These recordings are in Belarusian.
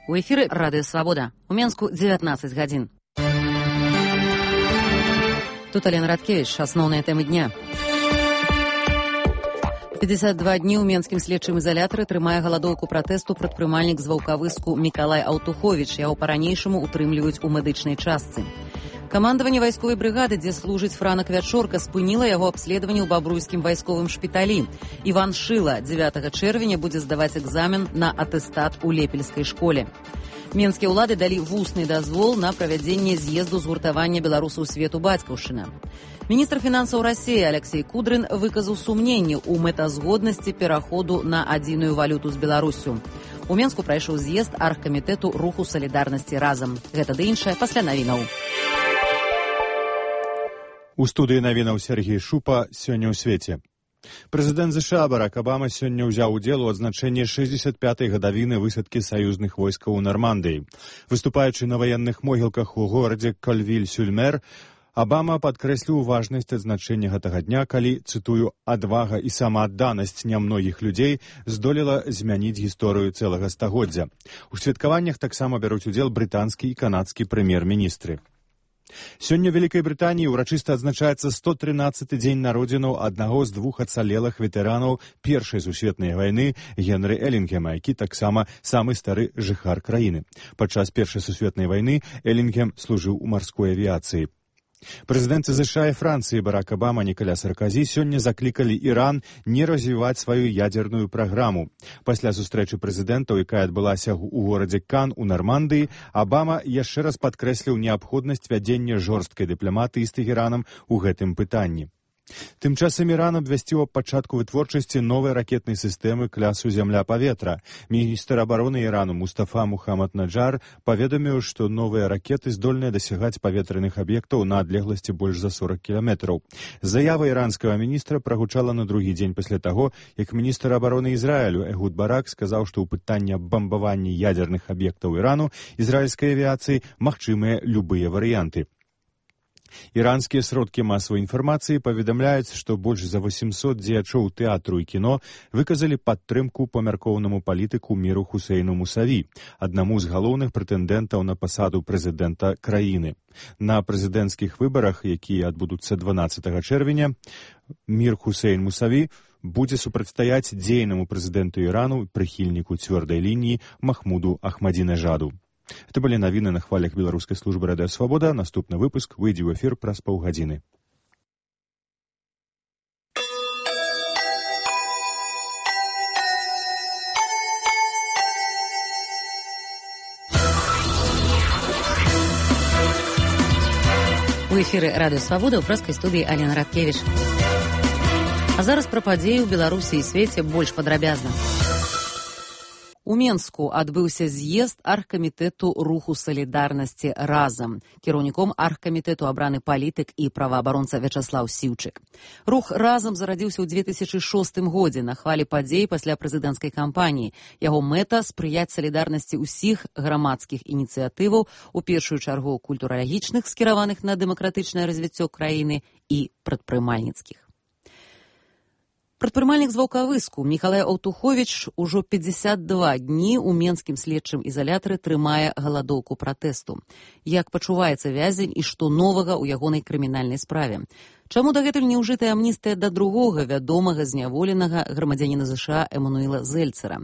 У эфіры Радыё Свабода. У Менску 19 гадзін. Тут Алена Радкевич. Асноўныя тэмы дня. 52 дні ў менскім следчым ізалятары трымае галадоўку пратэсту прадпрымальнік з Ваўкавыску Мікалай Аўтуховіч. Яго па-ранейшаму утрымліваюць у медычнай частцы. Камандаванне вайсковай брыгады, дзе служыць Франак Вячорка, спыніла яго абследаванне ў бабруйскім вайсковым шпіталі. Іван Шыла 9 чэрвеня будзе здаваць экзамен на атэстат у Лепельскай школе. Менскія ўлады далі вусны дазвол на правядзенне з'езду згуртавання беларусаў свету бацькаўшчына. Міністр фінансаў Расіі Алексей Кудрин выказаў сумненні ў мэтазгоднасці пераходу на адзіную валюту з Беларусю. У Менску прайшоў з'езд аргкамітэту руху салідарнасці разам. Гэта ды іншае пасля навінаў. У студыі навінаў Сергей Шупа сёння ў свеце. Прэзідэнт ЗША Барак Абама сёння ўзяў удзел у адзначэнні 65-й гадавіны высадкі саюзных войскаў у Нармандыі. Выступаючы на ваенных могілках у горадзе Кольвіль-сюль-Мер, Абама падкрэсліў важнасць адзначэння гэтага дня, калі, цытую, «адвага і самаадданасць нямногіх людзей здолела змяніць гісторыю цэлага стагоддзя». У святкаваннях таксама бяруць удзел брытанскі і канадскі прэм'ер-міністры. Сёння ў Вялікай Брытаніі ўрачыста адзначаецца 113-й дзень народзінаў аднаго з двух ацалелых ветэранаў Першай сусветнай вайны Генры Элінгема, які таксама самы стары жыхар краіны. Падчас Першай сусветнай вайны Элінгем служыў у марской авіяцыі. Прэзідэнты ЗША і Францыі Барак Абама, Нікаля Сарказі сёння заклікалі Іран не развіваць сваю ядзерную праграму. Пасля сустрэчы прэзідэнтаў, якая адбылася ў горадзе Кан у Нармандыі, Абама яшчэ раз падкрэсліў неабходнасць вядзення жорсткай дыпламатыі з Тэхеранам у гэтым пытанні. Тым часам Іран абвясціў аб пачатку вытворчасці новай ракетнай сістэмы класу зямля-паветра. Міністр абароны Ірану Мустафа Мухаммад Наджар паведаміў, што новыя ракеты здольныя дасягаць паветраных аб'ектаў на адлегласці больш за 40 кіламетраў. Заява іранскага міністра прагучала на другі дзень пасля таго, як міністр абароны Ізраілю Эгуд Барак сказаў, што ў пытанні бамбавання ядзерных аб'ектаў Ірану ізраільскай авіяцыі магчымыя любыя варыянты. Іранскія сродкі масавай інфармацыі паведамляюць, што больш за 800 дзеячоў тэатру і кіно выказалі падтрымку памяркоўнаму палітыку Міру Хусейну Мусаві, аднаму з галоўных прэтэндэнтаў на пасаду прэзідэнта краіны. На прэзідэнцкіх выбарах, якія адбудуцца 12 чэрвеня, Мір Хусейн Мусаві будзе супрацьстаяць дзейнаму прэзідэнту Ірану, прыхільніку цвёрдай лініі Махмуду Ахмадзінежаду. Это былі навіны на хвалях беларускай службы Радыё Свабода. Наступны выпуск выйдзе ў эфір праз паўгадзіны. У эфіры Радыё Свабода ў прэскай студыі Алена Радкевич. А зараз пра падзеі ў Беларусі і свеце больш падрабязна. У Менску адбыўся з'езд аргкамітэту руху салідарнасці разам. Кіраўніком аргкамітэту абраны палітык і праваабаронца Вячаслаў Сіўчык. Рух разам зарадзіўся ў 2006 годзе на хвалі падзей пасля прэзідэнцкай кампаніі. Яго мэта спрыяць салідарнасці ўсіх грамадскіх ініцыятываў, у першую чаргу культуралагічных, скіраваных на дэмакратычнае развіццё краіны, і прадпрымальніцкіх. Прадпрымальнік з Ваўкавыску Мікалай Аўтуховіч ужо 52 дні ў менскім следчым ізалятары трымае галадоўку пратэсту. Як пачуваецца вязень і што новага ў ягонай крымінальнай справе? Чаму дагэтуль не ўжытая амністыя да другога вядомага зняволенага грамадзяніна ЗША Эмануіла Зельцера?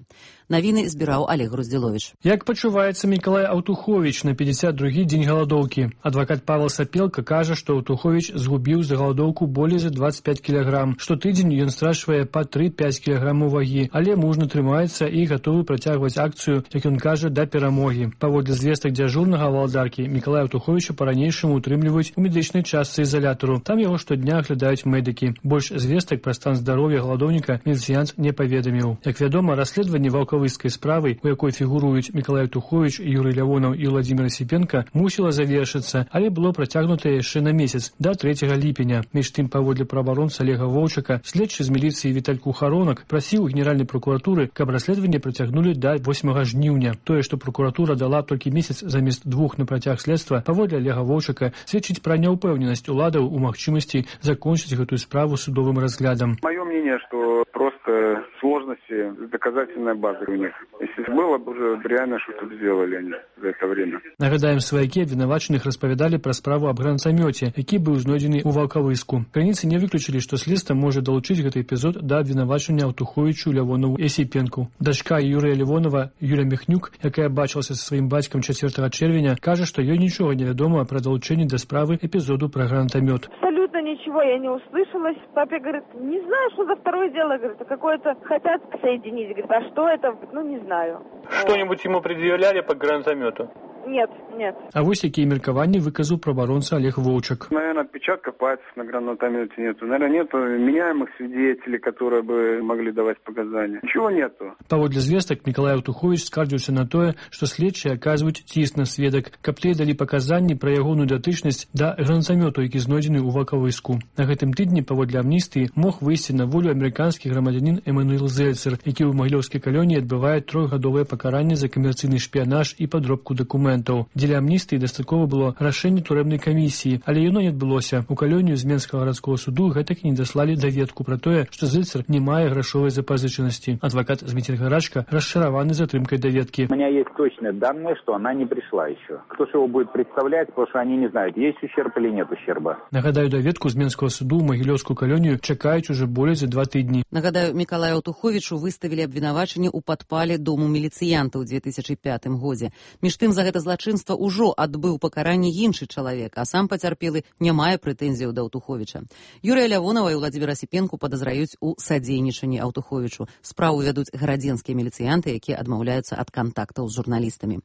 Навіны збіраў Олег Груздзіловіч. Як пачуваецца Мікалай Аўтуховіч на 52-гі дзень галадоўкі? Адвакат Павел Сапелка кажа, што Аўтуховіч згубіў за галадоўку болей за 25 кілаграм. Штотыдзень ён страчвае па 3-5 кілаграмаў вагі, але мужна трымаецца і гатовы працягваць акцыю, як ён кажа, да перамогі. Паводле звестак дзяжурнага валадаркі, Мікалая Аўтуховіча па-ранейшаму утрымліваюць у медычнай частцы ізалятару. Там яго штодня аглядаюць медыкі. Больш звестак пра стан здароўя галадоўніка міліцыянт не паведаміў. Як вядома, расследаванне ваўкавыскай справы, у якой фігуруюць Мікалай Аўтуховіч, Юрый Лявонаў і Владзімир Асіпенка, мусіла завершыцца, але было працягнута яшчэ на месяц, да 3 ліпеня. Між тым, паводле праваабаронца Олега Воўчака, следчы з міліцыі Віталь Кухаронак прасіў у генеральнай прокуратуры, каб расследаванне працягнулі да 8 жніўня. Тое, што прокуратура дала толькі месяц замест 2 на працяг следства, паводле Олега Воўчака, сведчыць пра няўпэўненасць уладаў у магчымасці магчымасці закончыць гэтую справу судовым разглядам. Мое мнение, что просто сложности с доказательной базой у них. Если было бы уже реально, что тут сделали они за это время. Нагадаем, сваякі абвінавачаных распавядалі пра справу аб гранатамёце, які быў знойдзены ў Ваўкавыску. Крыніцы не выключылі, што следства можа далучыць гэты эпізод да абвінавачання Аўтуховічу, Лявонову і Асіпенку. Дачка Юрыя Лявонова, Юля Міхнюк, якая бачылася са сваім бацькам 4 чэрвеня, кажа, што ёй нічога не вядома пра далучэнне да справы эпізоду пра гранатамёт. Абсолютно ничего я не услышала. Папе говорит, не знаю, что за второе дело, говорит, какое-то хотят соединить. Говорит, а что это? Ну, не знаю. Что-нибудь ему предъявляли по гранатомету? Нет, нет. А вось якія меркаванні выказаў праваабаронца Олег Воўчак. Наверное, отпечатков пальцев на гранатомете нету. Наверное, нету меняемых свидетелей, которые бы могли давать показания. Ничего нету. Паводле звестак, Мікалай Аўтуховіч скардзіўся на тое, што следчыя аказваюць ціск на сведак, каб тыя далі паказанні пра ягоную датычнасць да гранатамёту, які знойдзены ў Ваўкавыску. На гэтым тыдні, паводле амністыі, мог выйсці на волю амерыканскі грамадзянін Эмануэл Зельцер, які ў Магілёўскай калоніі адбывае 3-гадовае пакаранне за камерцыйны шпіянаж і падробку дакументаў. Дзеля амністыі дастаткова было рашэнне турэбнай камісіі, але яно не адбылося. У калонію з Менскага гарадскога суду гэтак і не даслалі даведку пра тое, што Зельцер не мае грашовай запазычанасці. Адвакат Зміцер Гарачка расчараваны затрымкай даведкі. У меня есть точные данные, что она не пришла еще. Кто же его будет представлять, потому что они не знают, есть ущерб или нет ущерба. Нагадаю, даведку з Менскага суду ў Магілёўскую калонію чакаюць уже болей за 2 тыдні. Нагадаю, Мікалаю Аўтуховічу выставілі абвінавачанне ў падпале дому міліцыянта ў 2005 годзе. Між тым, за гэта злачынства ўжо адбыў пакаранне іншы чалавек, а сам пацярпелы не мае прэтэнзіяў да Аўтуховіча. Юрыя Лявонова і Владзіміра Асіпенку падазраюць у садзейнічанні Аўтуховічу. Справу вядуць гарадзенскія міліцыянты, якія адмаўляюцца ад кантактаў з журналістамі.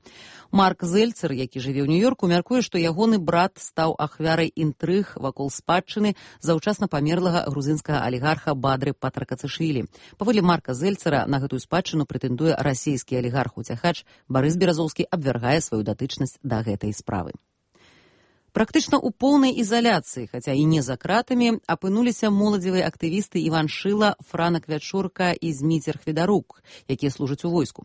Марк Зельцер, які жыве ў Нью-Йорку, мяркуе, што ягоны брат стаў ахвярай інтрыг вакол спадчыны заўчасна памерлага грузінскага алігарха Бадры Патракацышвілі. Паводле Марка Зельцера на гэтую спадчыну прэтэндуе расійскі алігарх-уцякач Барыс Беразоўскі, абвяргае сваю датычнасць да гэтай справы. Практычна ў поўнай ізаляцыі, хаця і не за кратамі, апынуліся моладзевыя актывісты Іван Шыла, Франак Вячорка і Зміцер Хведарук, якія служаць у войску.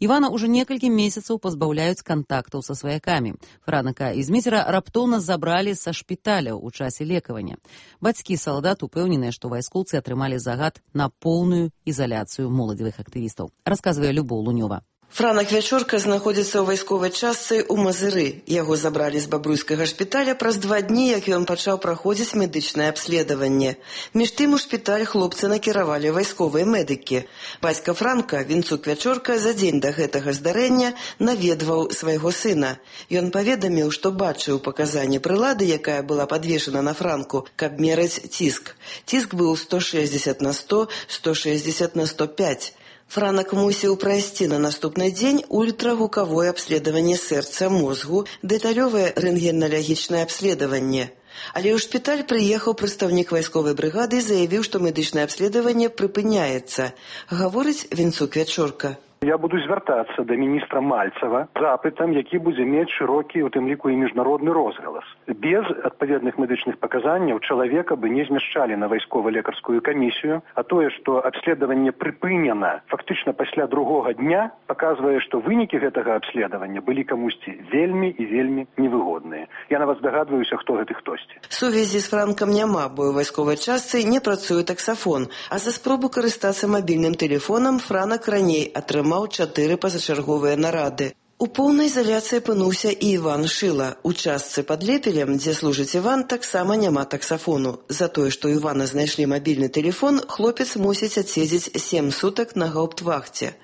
Івана ўжо некалькі месяцаў пазбаўляюць кантактаў са сваякамі. Франака і Зміцера раптоўна забралі са шпіталяў у часе лекавання. Бацькі салдат упэўненыя, што вайскоўцы атрымалі загад на поўную ізаляцыю моладзевых актывістаў. Расказвае Любоў Лунёва. Франак Вячорка знаходзіцца ў вайсковай частцы ў Мазыры. Яго забралі з бабруйскага шпіталя праз 2 дні, як ён пачаў праходзіць медычнае абследаванне. Між тым у шпіталь хлопцы накіравалі вайсковыя медыкі. Бацька Франка, Вінцук Вячорка, за дзень да гэтага здарэння наведваў свайго сына. Ён паведаміў, што бачыў паказанне прылады, якая была падвешана на Франку, каб мераць ціск. Ціск быў 160 на 100, 160 на 105. Франак мусіў прайсці на наступны дзень ультрагукавое абследаванне сэрца, мозгу, дэталёвае рэнтгеналагічнае абследаванне. Але ў шпіталь прыехаў прадстаўнік вайсковай брыгады і заявіў, што медычнае абследаванне прыпыняецца. Гаворыць Вінцук Вячорка. Я буду звяртацца да міністра Мальцева запытам, які будзе мець шырокі, у тым ліку і міжнародны розгалас. Без адпаведных медычных паказанняў чалавека бы не змяшчалі на вайскова-лекарскую камісію, а тое, што абследаванне прыпынена фактычна пасля 2-го дня, паказвае, што вынікі гэтага абследавання былі камусьці вельмі і вельмі невыгодныя. Я на вас дагадваюся, хто гэты хтосьці. Сувязі з Франкам няма, бо ў вайсковай частцы не працуе таксафон, а за спробу карыстацца мабільным тэлефонам Франак раней атрымаў 4 пазачарговыя нарады. У поўнай ізаляцыі апынуўся і Іван Шыла. У частцы пад Лепелем, дзе служыць Іван, таксама няма таксафону. За тое, што ў Івана знайшлі мабільны тэлефон, хлопец мусіць адседзець 7 сутак на гауптвахце.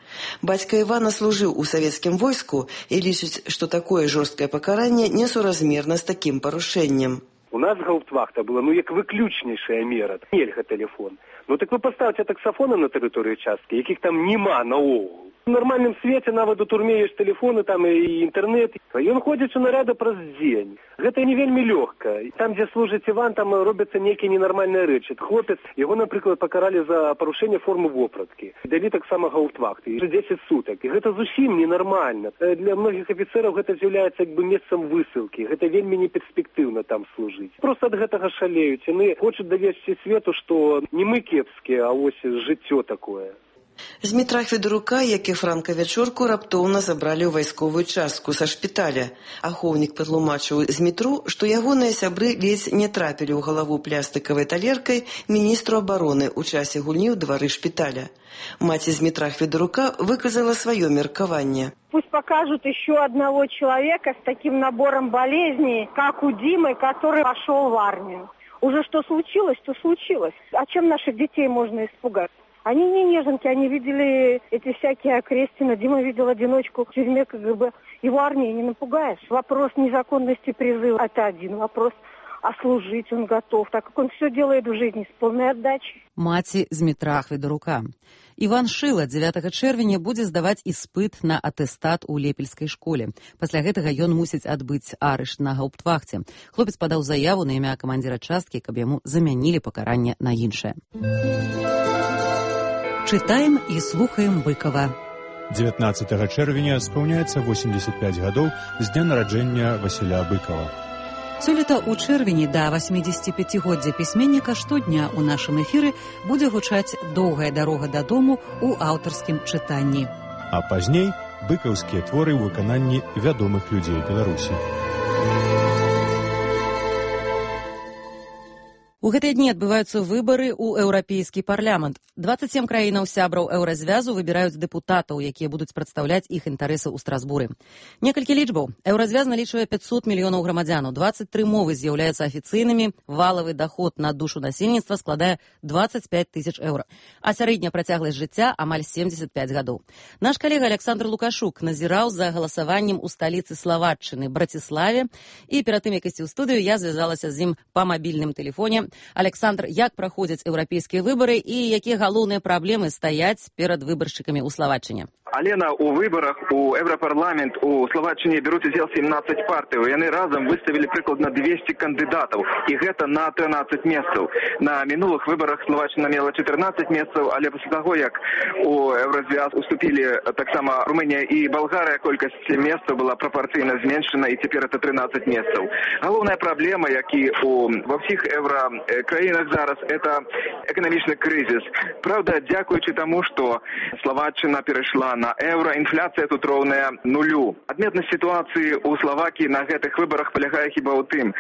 Бацька Івана служыў у савецкім войску і лічыць, што такое жорсткае пакаранне несуразмерна з такім парушэннем. У нас гауптвахта была, як выключнейшая мера. Нельга тэлефон. Так вы паставце таксафоны на тэрыторыі часткі, якіх там няма наогул. У нармальным свеце нават у турме ёсць тэлефоны, там і інтэрнэт. Ён ходзіць у нарады праз дзень. Гэта не вельмі лёгка. Там, дзе служыць Іван, там робяцца нейкія ненармальныя рэчы. Хлопец, яго, напрыклад, пакаралі за парушэнне формы вопраткі. Далі таксама гауптвахты. 10 сутак. І гэта зусім ненармальна. Для многіх афіцэраў гэта з'яўляецца месцам высылкі. Гэта вельмі неперспектыўна там служыць. Проста ад гэтага шалеюць. Яны хочуць давесці свету, што не мы кепскія, а ось жыццё такое. Змітра Федарука, як і Франка Вячорку, раптоўна забралі ў вайсковую частку са шпіталя. Ахоўнік патлумачыў Змітру, што ягоныя сябры ледзь не трапілі ў галаву плястыкавай талеркай міністру абароны ў часе гульні ў двары шпіталя. Маці Змітра Федарука выказала сваё меркаванне. Пусть покажут еще одного человека с таким набором болезней, как у Димы, который пошел в армию. Уже что случилось, то случилось. А чем наших детей можно испугать? Они не неженки, они видели эти всякие окрестины. Дима видел одиночку в тюрьме КГБ. Его армией не напугаешь. Вопрос незаконности призыва – это один вопрос. А служить он готов, так как он все делает в жизни с полной отдачей. Маці Змітра Федарука. Іван Шыла 9 чэрвеня будзе здаваць іспыт на атэстат у лепельскай школе. Пасля гэтага ён мусіць адбыць арышт на гауптвахце. Хлопец падаў заяву на імя камандзіра часткі, каб яму замянілі пакаранне на іншае. Чытаем і слухаем Быкова. 19 чэрвеня спаўняецца 85 гадоў з дня нараджэння Васіля Быкова. Сёлета ў чэрвені да 85-годдзя пісьменніка штодня ў нашым эфіры будзе гучаць «Доўгая дарога дадому» ў аўтарскім чытанні. А пазней быкаўскія творы ў выкананні вядомых людзей Беларусі. У гэтыя дні адбываюцца выбары ў Еўрапейскі парламент. 27 краінаў сябраў Еўразвязу выбіраюць дэпутатаў, якія будуць прадстаўляць іх інтарэсы ў Страсбуры. Некалькі лічбаў. Еўразвяз налічвае 500 мільёнаў грамадзянаў, 23 мовы з'яўляюцца афіцыйнымі, валавы даход на душу насельніцтва складае 25 тысяч еўра, а сярэдняя працягласць жыцця амаль 75 гадоў. Наш калега Александр Лукашук назіраў за галасаваннем у сталіцы Словаччыны, Браціславе, і перад тым, як ісці ў студыю, я звязалася з ім па мабільным тэлефоне. Александр, як праходзяць еўрапейскія выбары і якія галоўныя праблемы стаяць перад выбаршчыкамі ў Словаччыне? Алена, у выборах у Европарламент у Словаччине берут удзел 17 партый. Яны разом выставили прыкладна 200 кандидатов. И гэта на 13 месцаў. На минулых выборах Словаччина мела 14 месцаў, але после того, як у Еврозвяз уступили так само Румыния и Болгария, колькасць месцаў была пропорційна зменшена, и теперь это 13 месцаў. Головная проблема, як и во всех еврокраинах зараз, это экономичный кризис. Правда, дякуючи тому, что Словаччина перешла на евро, інфляцыя тут роўная нулю. Адметнасць сітуацыі ў Словакіі на гэтых выбарах палягае хіба ў тым,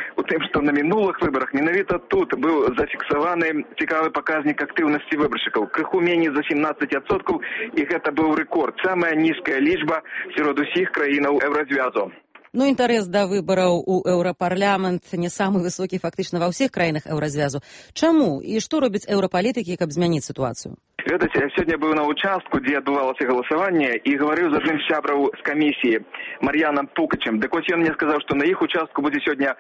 што на мінулых выбарах менавіта тут быў зафіксаваны цікавы паказнік актыўнасці выбаршчыкаў. Крыху меней за 17%, і гэта быў рэкорд. Самая нізкая лічба сярод усіх краінаў Еўразвязу. Ну, інтарэс да выбараў у Еўрапарламент не самы высокі фактычна ва ўсіх краінах Еўразвязу. Чаму і што робяць еўрапалітыкі, каб змяніць сітуацыю? Ведаце, я сегодня был на участку, где отбывалось голосование, и говорил з одним сябраў с комиссии, Марьяном Пукачем. Так вот, он мне сказал, что на их участку будет сегодня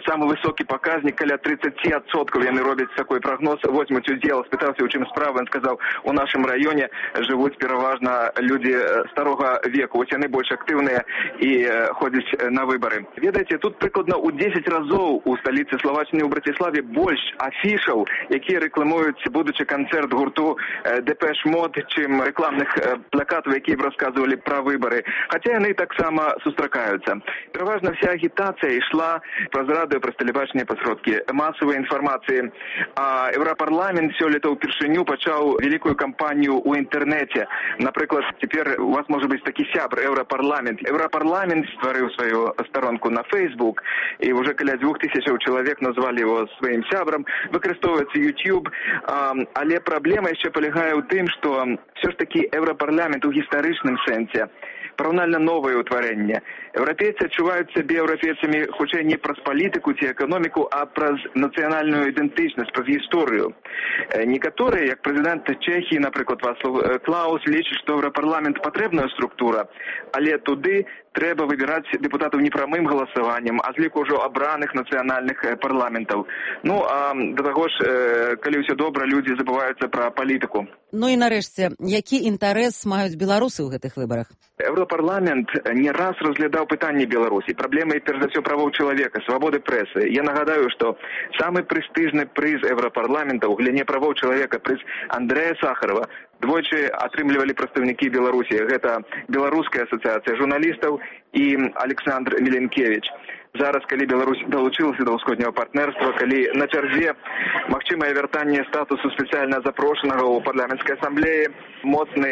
самый высокий показник, каля 30%. Яны робят такой прогноз, возьмут удел, спытался, у чым справа. Он сказал, у нашем районе живут переважно люди старого веку. Вот они больше активные и ходят на выборы. Ведаете, тут прикладно у 10 разов у столицы Словаччины, у Братиславе, больше афишаў, які рекламують будучи концерт гурту Депеш Мод, чим рекламних плакатів, які б розказували про вибори. Хоча вони так само зустрічаються. Переважно вся агітація йшла про зраду, про телебачення, про сродки масової інформації. А Європарламент сьогодні вперше почав велику кампанію у інтернеті. Наприклад, тепер у вас може бути такий сябр Європарламент. Європарламент створив свою сторонку на Фейсбук, і вже біля 2000 чоловік назвали його своїм сябром. Використовується YouTube, але проблема ще полягає у тым, што все ж таки Еўрапарламент у гістарычным сэнсе параўнальна новае ўтварэнне. Еўрапейцы адчуваюць сябе еўрапейцамі хутчэй не праз палітыку ці эканоміку, а праз нацыянальную ідэнтычнасць, праз гісторыю. Некаторыя, як прэзідэнт Чэхіі, напрыклад, Вацлав Клаус, лічаць, што Еўрапарламент патрэбная структура, але туды трэба выбіраць дэпутатаў не прамым галасаваннем, а з ліку ўжо абраных нацыянальных парламентаў. Ну, а да таго ж, калі ўсё добра, людзі забываюцца пра палітыку. Ну і нарэшце, які інтарэс маюць беларусы ў гэтых выбарах? Еўрапарламент не раз разглядаў пытанні Беларусі, праблемы, перш за ўсё, правоў чалавека, свабоды прэсы. Я нагадаю, што самы прэстыжны прыз Еўрапарламента ў галіне правоў чалавека, прыз Андрэя Сахарова, двойчы атрымлівалі прадстаўнікі Беларусі. Гэта Беларуская асацыяцыя журналістаў і Александр Міленкевич. Зараз, калі Беларусь далучылася да ўсходняга партнерства, калі на чарзе магчымае вяртанне статусу спецыяльна запрошанага ў парламенцкай асамблеі, моцны,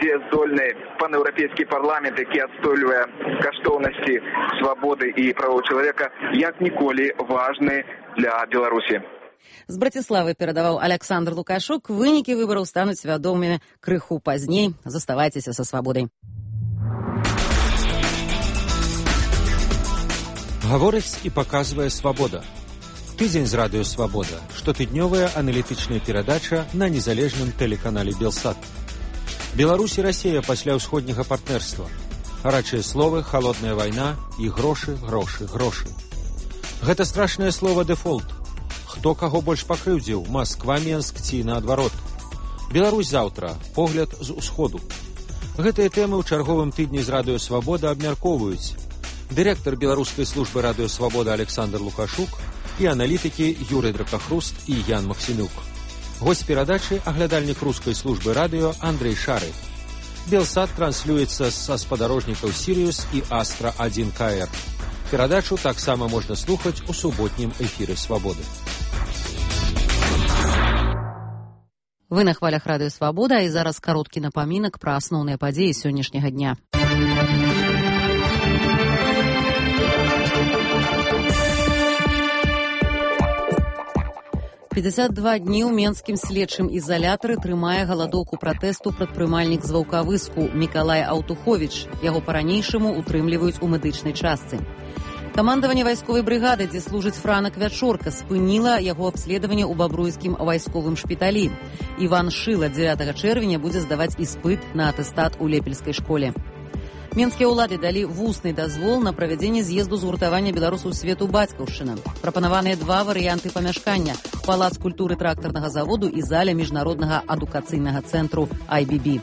дзеяздольны панеўрапейскі парламент, які адстойвае каштоўнасці свабоды і правоў чалавека, як ніколі важны для Беларусі. З Браціславы перадаваў Александр Лукашук. Вынікі выбараў стануць вядомымі крыху пазней. Заставайцеся са свабодай. Гаворыць і паказвае свабода. Тыдзень з радыё «Свабода». Штотыднёвая аналітычная перадача на незалежным тэлеканале «Белсат». Беларусь і Расія пасля ўсходняга партнерства. Гарачыя словы, халодная вайна і грошы, грошы, грошы. Гэта страшнае слова «дэфолт». Хто каго больш пакрыўдзіў, Масква, Менск ці наадварот. Беларусь заўтра, погляд з усходу. Гэтыя тэмы ў чарговым тыдні з радыё «Свабода» абмяркоўваюць дырэктар беларускай службы радыё «Свабода» Александр Лукашук і аналітыкі Юрый Дракахруст і Ян Максімюк. Госць перадачы – аглядальнік рускай службы радыё Андрей Шары. Белсат транслюецца са спадарожнікаў «Сіриус» і «Астра-1 КР». Перадачу таксама можна слухаць у суботнім эфіры «Свабоды». Вы на хвалях радыё «Свабода», і зараз кароткі напамінак пра асноўныя падзеі сённяшняга дня. 52 дні ў менскім следчым ізалятары трымае галадоўку пратэсту прадпрымальнік з Ваўкавыску Мікалай Аўтуховіч. Яго па-ранейшаму утрымліваюць у медычнай частцы. Камандаванне вайсковай брыгады, дзе служыць Франак Вячорка, спыніла яго абследаванне ў бабруйскім вайсковым шпіталі. Іван Шыла 9 чэрвеня будзе здаваць іспыт на атэстат у Лепельскай школе. Менскія ўлады далі вусны дазвол на правядзенне з'езду згуртавання беларусаў свету бацькаўшчына. Прапанаваныя два варыянты памяшкання – палац культуры трактарнага заводу і заля міжнароднага адукацыйнага цэнтру IBB.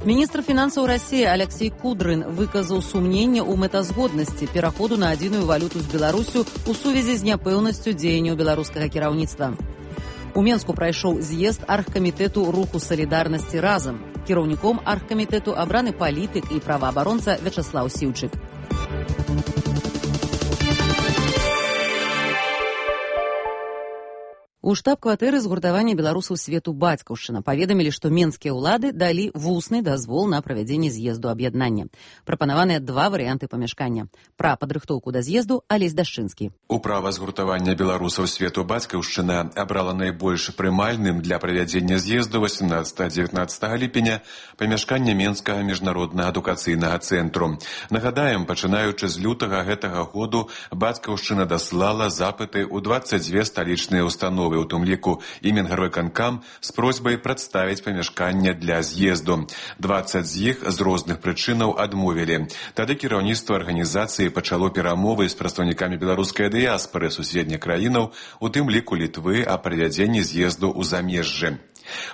Міністр фінансаў Расіі Алексей Кудрын выказаў сумненне ў мэтазгоднасці пераходу на адзіную валюту з Беларусю ў сувязі з няпэўнасцю дзеянняў беларускага кіраўніцтва. У Менску прайшоў з'езд аргкамітэту руху салідарнасці разам. Кіраўніком аргкамітэту абраны палітык і праваабаронца Вячаслаў Сіўчык. У штаб-кватэры згуртавання беларусаў свету бацькаўшчына паведамілі, што менскія ўлады далі вусны дазвол на правядзенне з'езду аб'яднання. Прапанаваныя два варыянты памяшкання. Пра падрыхтоўку да з'езду Алесь Дашчынскі. Управа згуртавання беларусаў свету бацькаўшчына абрала найбольш прымальным для правядзення з'езду 18-19 ліпеня памяшкання Менскага міжнароднага адукацыйнага цэнтру. Нагадаем, пачынаючы з лютага гэтага году бацькаўшчына даслала запыты ў 22 сталічныя установы, у тым ліку і Мінгарвыканкам, з просьбай прадставіць памяшканне для з'езду. 20 з іх з розных прычынаў адмовілі. Тады кіраўніцтва арганізацыі пачало перамовы з прадстаўнікамі беларускай дыяспары суседніх краінаў, у тым ліку Літвы, аб правядзенні з'езду ў замежжы.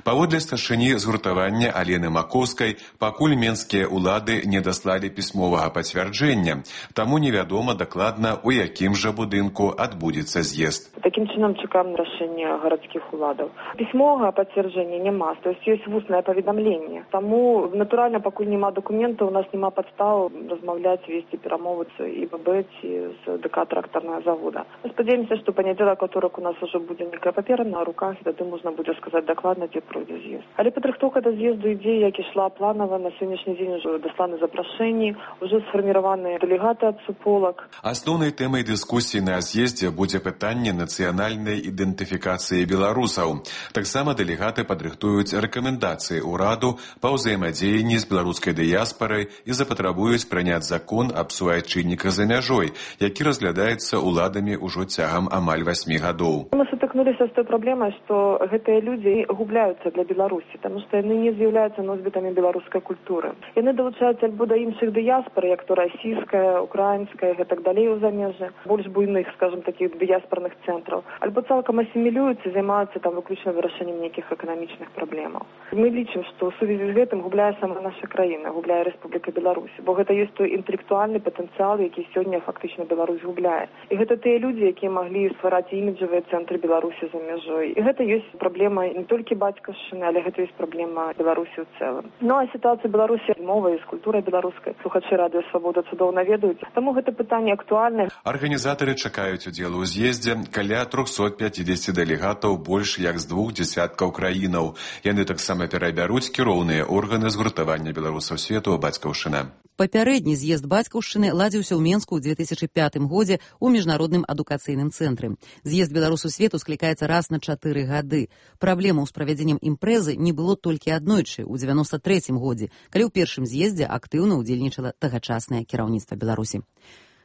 Паводле старшыні згуртавання Алены Макоўскай, пакуль менскія ўлады не даслалі пісьмовага пацвярджэння, таму невядома дакладна, у якім жа будынку адбудзецца з'езд. Такім чынам чакаем рашэння гарадскіх уладаў. Пісьмовага пацвярджэння няма, то есть ёсць вуснае паведамленне. Таму, натуральна, пакуль няма дакументаў, у нас няма падстаў размаўляць, весці перамовы з ІББ ці з ДК трактарнага завода. Спадзяемся, што панядзелак, аўторак у нас ужо будзе некая папера на руках, і тады можна будзе сказаць дакладна, дзе пройдзе з'езд. Але падрыхтоўка да з'езду ідзе, як ішла планава. На сённяшні дзень ужо дасланы запрашэнні, ужо сфарміраваныя дэлегаты ад суполак. Асноўнай тэмай дыскусіі на з'ездзе будзе пытанне нацыянальнай ідэнтыфікацыі беларусаў. Таксама дэлегаты падрыхтуюць рэкамендацыі ўраду па ўзаемадзеянні з беларускай дыяспарай і запатрабуюць прыняць закон аб суайчынніках за мяжой, які разглядаецца ўладамі ўжо цягам амаль 8 гадоў. Мы сутыкнуліся з той праблемай, што гэтыя людзі губляюцца для Беларусі, таму што яны не з'яўляюцца носьбітамі беларускай культуры. Яны далучаюцца альбо да іншых дыяспар, як то расійская, украінская, гэтак далей у замежжы, больш буйных, скажем, такіх дыяспарных цэнтраў, альбо цалкам асімілююцца, займаюцца там выключна вырашэннем нейкіх эканамічных праблемаў. Мы лічым, што ў сувязі з гэтым губляе сама наша краіна, губляе Рэспубліка Беларусь, бо гэта ёсць той інтэлектуальны патэнцыял, які сёння фактычна Беларусь губляе. І гэта тыя людзі, якія маглі ствараць іміджавыя цэнтры Беларусі за мяжой. І гэта ёсць праблема не толькі бацькаўшчыны, але гэта ёсць праблема Беларусі ў цэлым. Ну а сітуацыя Беларусі з мовай, з культурай беларускай слухачы радыё Свабода цудоўна ведаюць, таму гэта пытанне актуальнае. Арганізатары чакаюць удзелу ў з'ездзе каля 350 дэлегатаў больш як з 2 дзясяткаў краінаў. Яны таксама перабяруць кіроўныя органы згуртавання беларусаў свету бацькаўшчына. Папярэдні з'езд бацькаўшчыны ладзіўся ў Менску ў 2005 годзе ў міжнародным адукацыйным цэнтры. З'езд беларусаў свету склікаецца раз на 4 гады. Праблемаў з правядзеннем імпрэзы не было толькі аднойчы, у 93 годзе, калі ў першым з'ездзе актыўна ўдзельнічала тагачаснае кіраўніцтва Беларусі.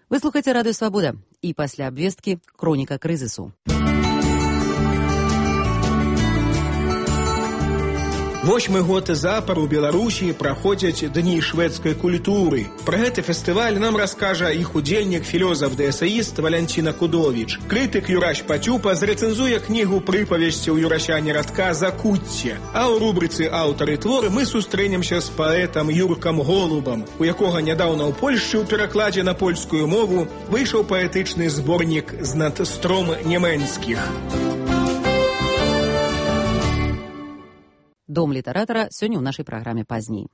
Вы слухаеце радыё Свабода і пасля абвесткі хроніка крызісу. 8-й год запар у Беларусі праходзяць дні шведскай культуры. Пра гэты фестываль нам раскажа іх удзельнік, філёзаф ды эсэіст Валянціна Кудовіч. Крытык Юрась Пацюпа зрэцэнзуе кнігу прыпавесцяў Юрасяні Радка «Закуцце». А ў рубрыцы «Аўтары творы» мы сустрэнемся з паэтам Юркам Голубам, у якога нядаўна ў Польшчы ў перакладзе на польскую мову выйшаў паэтычны зборнік з надстром нямецкіх. Дом літаратара сёння ў нашай праграме пазней.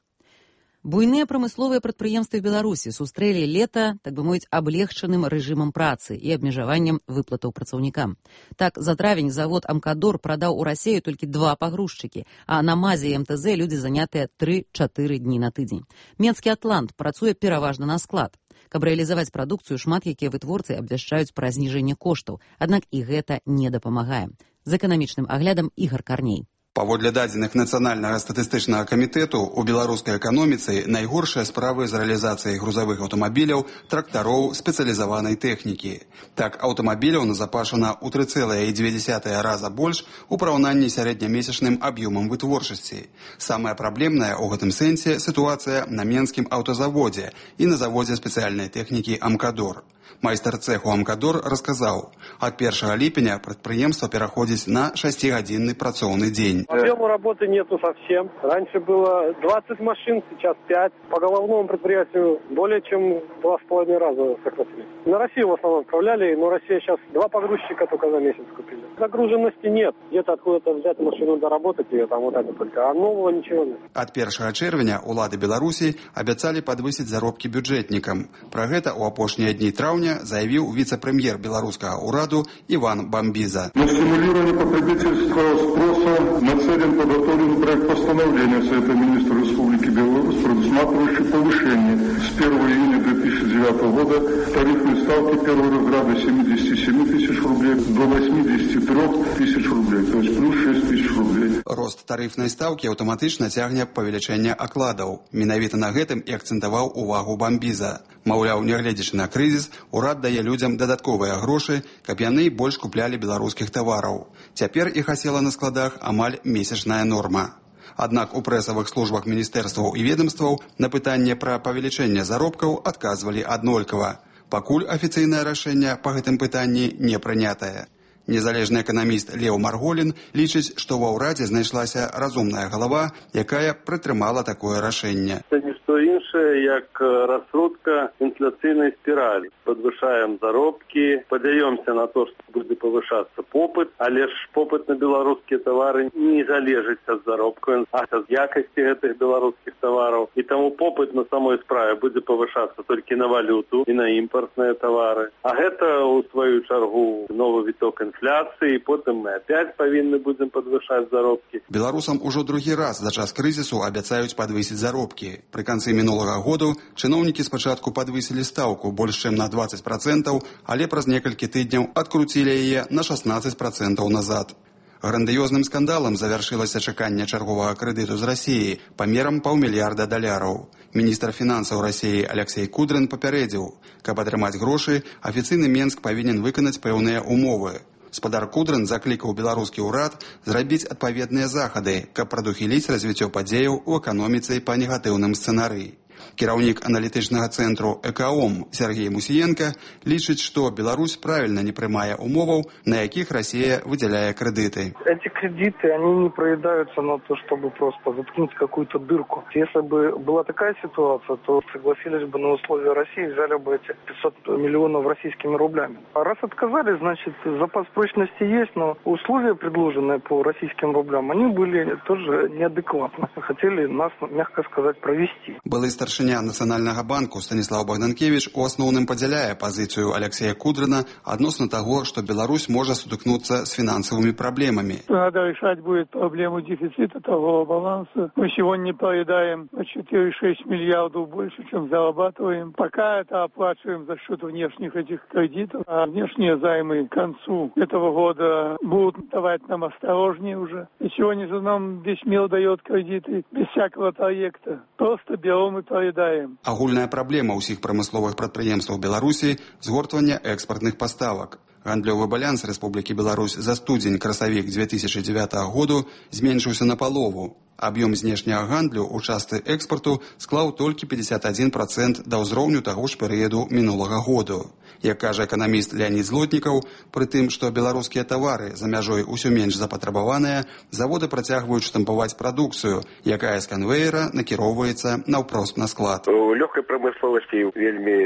Буйныя прамысловыя прадпрыемствы Беларусі сустрэлі лета, так бы мовіць, аблегчаным рэжымам працы і абмежаваннем выплатаў працаўнікам. Так, за травень завод «Амкадор» прадаў у Расею толькі 2 пагрузчыкі, а на МАЗе і МТЗ людзі занятыя 3-4 дні на тыдзень. Менскі «Атлант» працуе пераважна на склад. Каб рэалізаваць прадукцыю, шмат якія вытворцы абвяшчаюць пра зніжэнне коштаў, аднак і гэта не дапамагае. З эканамічным аглядам Ігар Карней. Паводле дадзеных Нацыянальнага статыстычнага камітэту, у беларускай эканоміцы найгоршыя справы з рэалізацыяй грузавых аўтамабіляў, трактароў, спецыялізаванай тэхнікі. Так, аўтамабіляў назапашана ў 3,2 раза больш у параўнанні з сярэднямесячным аб'ёмам вытворчасці. Самая праблемная ў гэтым сэнсе сітуацыя на Менскім аўтазаводзе і на заводзе спецыяльнай тэхнікі «Амкадор». Майстар цеху «Амкадор» расказаў, ад 1 ліпеня прадпрыемства пераходзіць на 6-гадзінны працоўны дзень. Объема работы нету совсем. Раньше было 20 машин, сейчас 5. По головному предприятию более чем 2,5 раза сократили. На Россию в основном отправляли, но Россия сейчас 2 погрузчика только за месяц купили. Загруженности нет. Где-то откуда-то взять машину, доработать ее, там вот это только. А нового ничего нет. Ад 1 чэрвеня улады Беларусі абяцалі падвысіць заробкі бюджэтнікам. Пра гэта ў апошнія дні траўня заявіў віцэ-прэм'ер беларускага ўраду Иван Бамбиза. На стимулирование потребительского спроса нацелен подготовленный проект постановления Совета министров Республики Беларусь, предусматривающий повышение с 1 июня 2009 года тарифной ставки первого разряда 77 тысяч рублей до 83 тысяч рублей, то есть плюс 6 тысяч рублей. Рост тарифной ставки аўтаматычна цягне павелічэнне акладаў. Менавіта на гэтым і акцэнтаваў увагу Бамбиза. Маўляў, нягледзячы на крызіс, урад дае людзям дадатковыя грошы, каб яны больш куплялі беларускіх тавараў. Цяпер іх асела на складах амаль месячная норма. Аднак у прэсавых службах міністэрстваў і ведомстваў на пытанне пра павелічэнне заробкаў адказвалі аднолькава. Пакуль афіцыйнае рашэнне па гэтым пытанні не прынятае. Незалежны эканаміст Леў Марголін лічыць, што ва ўрадзе знайшлася разумная галава, якая прытрымала такое рашэнне. Це не што іншае, як раскрутка інфляцыйнай спіралі. Падвышаем заробкі, падаёмся на то, што будзе павышацца попыт, але ж попыт на беларускія тавары не залежыць ад заробкаў, а ад якасці гэтых беларускіх тавараў. І таму попыт на самой справе будзе павышацца толькі на валюту і на імпартныя тавары. А гэта, у сваю чаргу, новы віток инфляции, потым мы опять павінны будем подвышаць заробкі. Беларусам ужо другі раз за час крызісу абяцаюць падвысіць заробкі. Пры канцы мінулага году чыноўнікі спачатку падвысілі стаўку больш чым на 20%, але праз некалькі тыдняў адкруцілі яе на 16% назад. Грандыёзным скандалам завяршылася чаканне чарговага крэдыту з Расіі памерам $500 мільярдаў. Міністр фінансаў Расіі Алексей Кудрин папярэдзіў, каб атрымаць грошы, афіцыйны Менск павінен выканаць пэўныя умовы. Спадар Кудрин заклікаў беларускі ўрад зрабіць адпаведныя захады, каб прадухіліць развіццё падзеяў у эканоміцы па негатыўным сцэнарыі. Кіраўнік аналітычнага цэнтру «Экаом» Сергей Мусіенко лічыць, што Беларусь правільна не прымае умоваў, на якіх Россия выделяе кредиты. Эти кредиты, они не проедаются на то, чтобы просто заткнуть какую-то дырку. Если бы была такая ситуация, то согласились бы на условия России, взяли бы эти 500 миллионов российскими рублями. А раз отказали, значит, запас прочности есть, но условия, предложенные по российским рублям, они были тоже неадекватны. Хотели нас, мягко сказать, провести. Былы старшыня Нацыянальнага банку Станіслав Богданкевич у асноўным падзяляе пазіцыю Алексея Кудрина адносна таго, што Беларусь можа сутыкнуцца с финансовыми проблемами. Надо решать будет проблему дефицита торгового баланса. Мы сегодня поедаем 4,6 миллиардов больше, чем зарабатываем. Пока это оплачиваем за счет внешних этих кредитов. А внешние займы к концу этого года будут давать нам осторожнее уже. И сегодня же нам весь мир дает кредиты без всякого проекта. Просто берем и поедаем. Агульная праблема ўсіх прамысловых прадпрыемстваў Беларусі – згортвання экспартных паставак. Гандлёвы баланс Рэспублікі Беларусь за студзень-красавік 2009 году зменшыўся напалову. Аб'ём знешняга гандлю ў частцы экспарту склаў толькі 51% да ўзроўню таго ж перыяду мінулага году. Як кажа эканаміст Леонид Злотнікаў, пры тым, што беларускія тавары за мяжой усё менш запатрабаваныя, заводы працягваюць штампаваць прадукцыю, якая з канвеера накіроўваецца наўпрост на склад. У лёгкай прамысловасці вельмі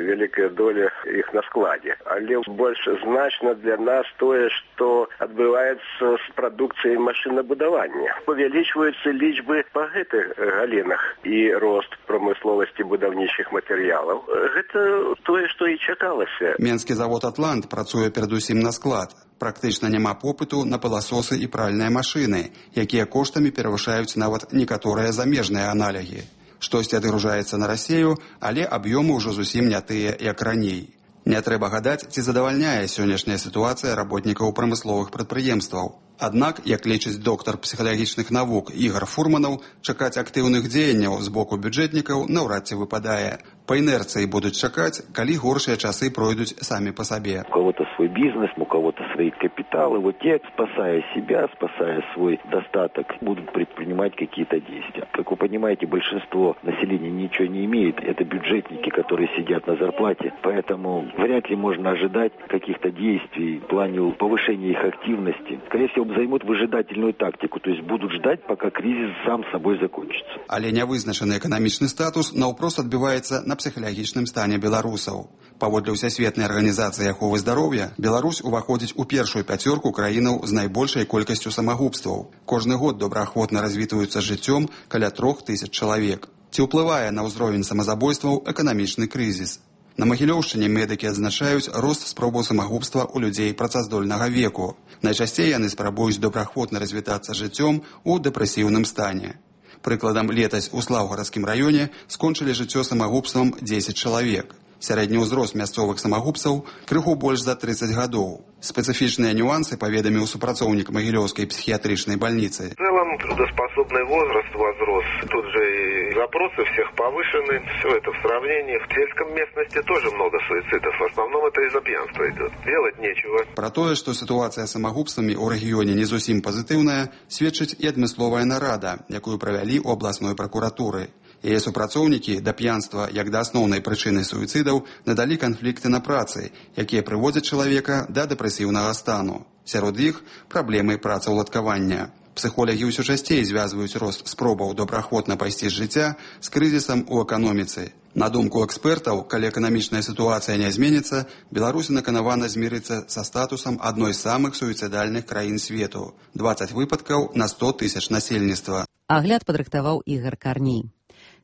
вялікая доля іх на складзе, але больш значна для нас тое, што адбываецца з прадукцыяй машынабудавання. Павялічваюцца лічбы па гэтых галінах і рост прамысловасці будаўнічых матэрыялаў. Гэта тое, што і чакалася. Менскі завод «Атлант» працуе перадусім на склад. Практычна няма попыту на пыласосы і пральныя машыны, якія коштамі перавышаюць нават некаторыя замежныя аналогі. Штосьці адгружаецца на Расію, але аб'ёмы ўжо зусім не тыя, як раней. Не трэба гадаць, ці задавальняе сённяшняя сітуацыя работнікаў прамысловых прадпрыемстваў. Аднак, як лічыць доктар псіхалагічных навук Ігор Фурманаў, чакаць актыўных дзеянняў з боку бюджэтнікаў наўрад ці выпадае. Па інерцыі будуць чакаць, калі горшыя часы пройдуць самі па сабе. У кого-то свой бизнес, у кого-то свои капиталы. Вот те, спасая себя, спасая свой достаток, будут предпринимать какие-то действия. Как вы понимаете, большинство населения ничего не имеет. Это бюджетники, которые сидят на зарплате. Поэтому вряд ли можно ожидать каких-то действий в плане повышения их активности. Скорее всего, займут выжидательную тактику, то есть будут ждать, пока кризис сам собой закончится. Але нявызначаны эканамічны статус наўпрост адбіваецца на псіхалагічным стане беларусаў. Паводле Всесветнай арганізацыі аховы здароўя, Беларусь уваходзіць у першую пяцёрку краінаў з найбольшай колькасцю самагубстваў. Кожны год добраахвотна развітваюцца жыццём каля 3000 чалавек. Ці ўплывае на ўзровень самазабойстваў эканамічны крызіс? На Магілёўшчыне медыкі адзначаюць рост спробаў самагубства ў людзей працаздольнага веку. Найчасцей яны спрабуюць добраахвотна развітацца жыццём у дэпрэсіўным стане. Прыкладам, летась у Слаўгарадскім раёне скончылі жыццё самагубствам 10 чалавек. Сярэдні ўзрост мясцовых самагубцаў крыху больш за 30 гадоў. Спецыфічныя нюансы паведаміў супрацоўнік Магілёўскай психиатричной больницы. В целом трудоспособный возраст возрос. Тут же и запросы всех повышены. Все это в сравнении. В сельском местности тоже много суицидов. В основном это из-за пьянства идет. Делать нечего. Пра тое, што сітуацыя з самагубствамі ў рэгіёне не зусім пазітыўная, сведчыць і адмысловая нарада, якую правялі ў абласной пракуратуры. Яе супрацоўнікі да п'янства як да асноўнай прычыны суіцыдаў надалі канфлікты на працы, якія прыводзяць чалавека да дэпрэсіўнага стану. Сярод іх праблемы працаўладкавання. Псіхолагі ўсё часцей звязваюць рост спробаў добраахвотна пайсці з жыцця з крызісам у эканоміцы. На думку экспертаў, калі эканамічная сітуацыя не зменіцца, Беларусь наканавана змірыцца са статусам адной з самых суіцыдальных краін свету. 20 выпадкаў на 100 000 насельніцтва. Агляд падрыхтаваў Ігар Карней.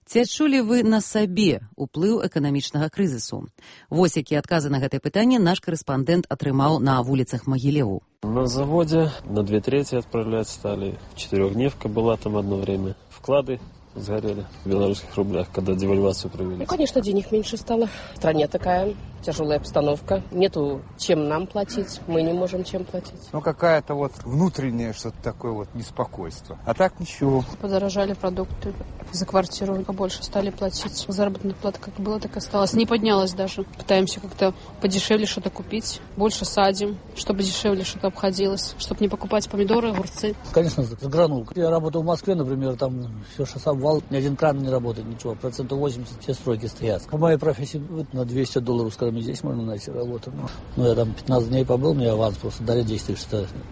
Ці адчулі вы на сабе ўплыў эканамічнага крызісу? Вось якія адказы на гэтае пытанне наш корэспандэнт атрымаў на вуліцах Магілеву. На заводе на 2/3 отправлять стали. 4-дневка была там одно время. Вклады сгорели в белорусских рублях, когда девальвацию провели. Ну, конечно, денег меньше стало. В стране такая тяжелая обстановка. Нету чем нам платить. Мы не можем чем платить. Ну, какая-то вот внутреннее что-то такое вот неспокойство. А так ничего. Подорожали продукты. За квартиру побольше стали платить. Заработная плата как была, так и осталась. Не поднялась даже. Пытаемся как-то подешевле что-то купить. Больше садим, чтобы дешевле что-то обходилось. Чтобы не покупать помидоры, огурцы. Конечно, загранул. Я работал в Москве, например, там все что сам вал, ни один кран не работает, ничего. 80% все стройки стоят. По моей профессии на $200, скажем, здесь можно найти работу. Но я там 15 дней побыл, мне аванс просто дали 10 тысяч,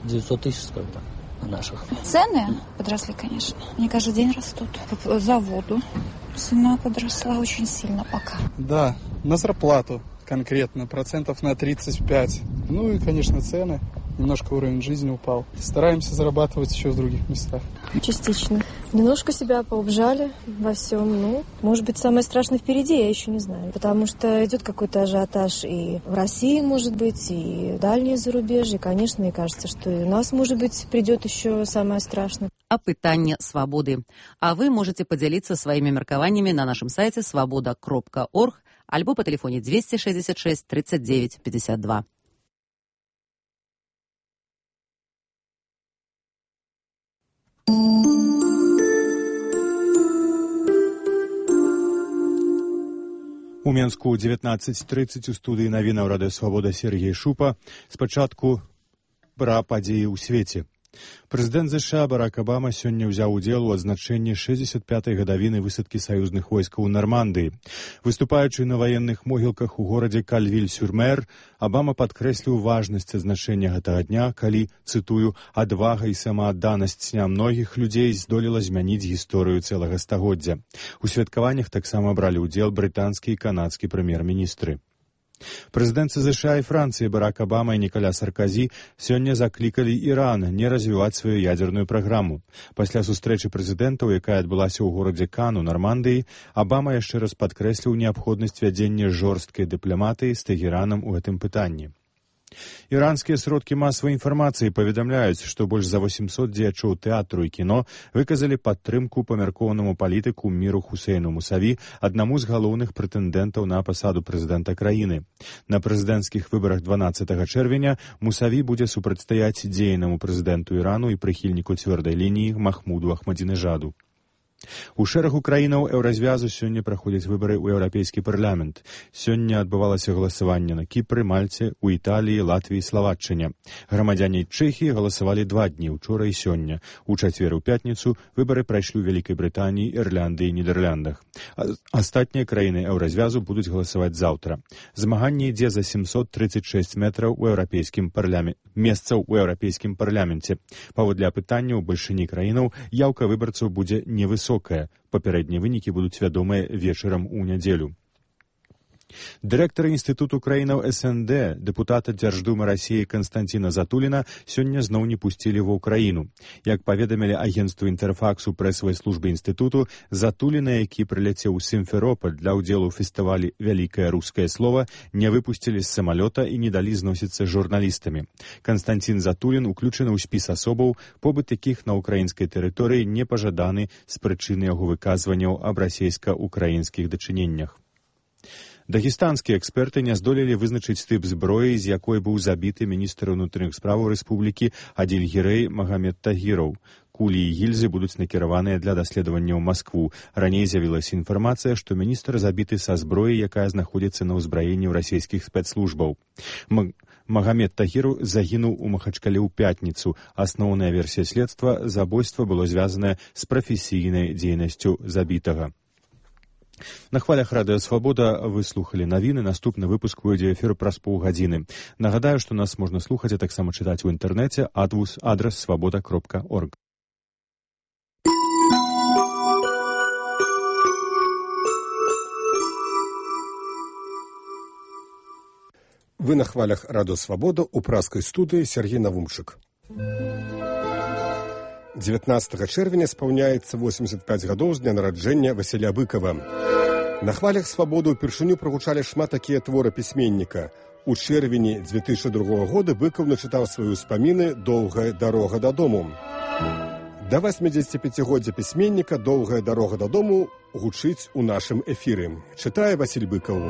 900 тысяч, скажем так, наших. Цены подросли, конечно. Они каждый день растут. За воду цена подросла очень сильно пока. Да, на зарплату конкретно, процентов на 35. Ну и, конечно, цены. Немножко уровень жизни упал. Стараемся зарабатывать еще в других местах. Частично. Немножко себя поубжали во всем. Ну, может быть, самое страшное впереди, я еще не знаю. Потому что идет какой-то ажиотаж и в России, может быть, и дальние зарубежья. Конечно, мне кажется, что и у нас, может быть, придет еще самое страшное. Апытанне свабоды. А вы можете поделиться своими меркаваннями на нашем сайте svoboda.org альбо по телефоне 266 39 52. У Менску 19:30 у студыі навінаў Радыё Свабода Сергей Шупа. Спачатку пра падзеі ў свеце. Прэзідэнт ЗША Барак Абама сёння ўзяў удзел у адзначэнні 65-й гадавіны высадкі саюзных войскаў у Нармандыі. Выступаючы на ваенных могілках у горадзе Кальвіль-сюр-Мэр, Абама падкрэсліў важнасць адзначэння гэтага дня, калі, цытую, адвага і самаадданасць нямногіх людзей здолела змяніць гісторыю цэлага стагоддзя. У святкаваннях таксама бралі ўдзел брытанскі і канадскі прэм'ер-міністры. Прэзідэнты ЗША і Францыі Барак Абама і Ніколя Саркозі сёння заклікалі Іран не развіваць сваю ядерную праграму. Пасля сустрэчы прэзідэнтаў, якая адбылася ў горадзе Кан у Нармандыі, Абама яшчэ раз падкрэсліў неабходнасць вядзення жорсткай дыпламатыі з Тэгеранам у гэтым пытанні. Іранскія сродкі масавай інфармацыі паведамляюць, што больш за 800 дзеячоў тэатру і кіно выказалі падтрымку памяркоўнаму палітыку Міру Хусейну Мусаві, аднаму з галоўных прэтэндэнтаў на пасаду прэзідэнта краіны. На прэзідэнцкіх выбарах 12 чэрвеня Мусаві будзе супрацьстаяць дзейнаму прэзідэнту Ірану і прыхільніку цвёрдай лініі Махмуду Ахмадзінежаду. У шэрагу краінаў еўразвязу сёння праходзяць выбары ў Еўрапейскі парламент. Сёння адбывалася галасаванне на Кіпры, Мальце, у Італіі, Латвіі і Славаччыне. Грамадзяне Чэхіі галасавалі 2 дні, учора і сёння. У чацвер і ў пятніцу выбары прайшлі ў Вялікай Брытаніі, Ірландыі і Нідэрляндах. Астатнія краіны еўразвязу будуць галасаваць заўтра. Змаганне ідзе за 736 метраў у месцаў у Еўрапейскім парламенце. Паводле апытання ў бальшыні краінаў яўка выбарцаў будзе невысокая. Папярэднія вынікі будуць вядомыя вечарам у нядзелю. Дырэктара Інстытуту краінаў СНД, дэпутата Дзярждумы Расіі Канстанціна Затуліна сёння зноў не пусцілі ва ўкраіну. Як паведамілі агенцтву Інтэрфакс у прэсавай службе інстытуту, Затуліна, які прыляцеў у Сімферополь для ўдзелу ў фестывалі «Вялікае рускае слова», не выпусцілі з самалёта і не далі зносіцца з журналістамі. Канстанцін Затулін уключаны ў спіс асобаў, побыт якіх на ўкраінскай тэрыторыі не пажаданы з прычыны яго выказванняў аб расейска-украінскіх дачыненнях. Дагестанскія эксперты не здолелі вызначыць тып зброі, з якой быў забіты міністр унутраных справаў рэспублікі Адильгірэй Магамед Тагіраў. Кулі і гільзы будуць накіраваныя для даследавання ў Маскву. Раней з'явілася інфармацыя, што міністр забіты са зброі, якая знаходзіцца на ўзбраенні ў расійскіх спецслужбаў. Магамед Тагіру загінуў у Махачкале ў пятніцу. Асноўная версія следства — забойства было звязанае з прафесійнай дзейнасцю забітага. На хвалях Радыё Свабода вы слухалі навіны. Наступны выпуск выйдзе эфір праз паўгадзіны. Нагадаю, што нас можна слухаць, а таксама чытаць у інтэрнэце, адрас svoboda.org. Вы на хвалях Радыё Свабода ў празкай студыі Сергей Навумчык. 19 чэрвеня спаўняецца 85 гадоў з дня нараджэння Васіля Быкава. На хвалях Свабоды ўпершыню прагучалі шмат такія творы пісьменніка. У чэрвені 2002 года Быкаў начытаў свае ўспаміны «Доўгая дарога дадому». Да 85-годдзя пісьменніка «Доўгая дарога дадому» гучыць у нашым эфіры. Чытае Васіль Быкаў.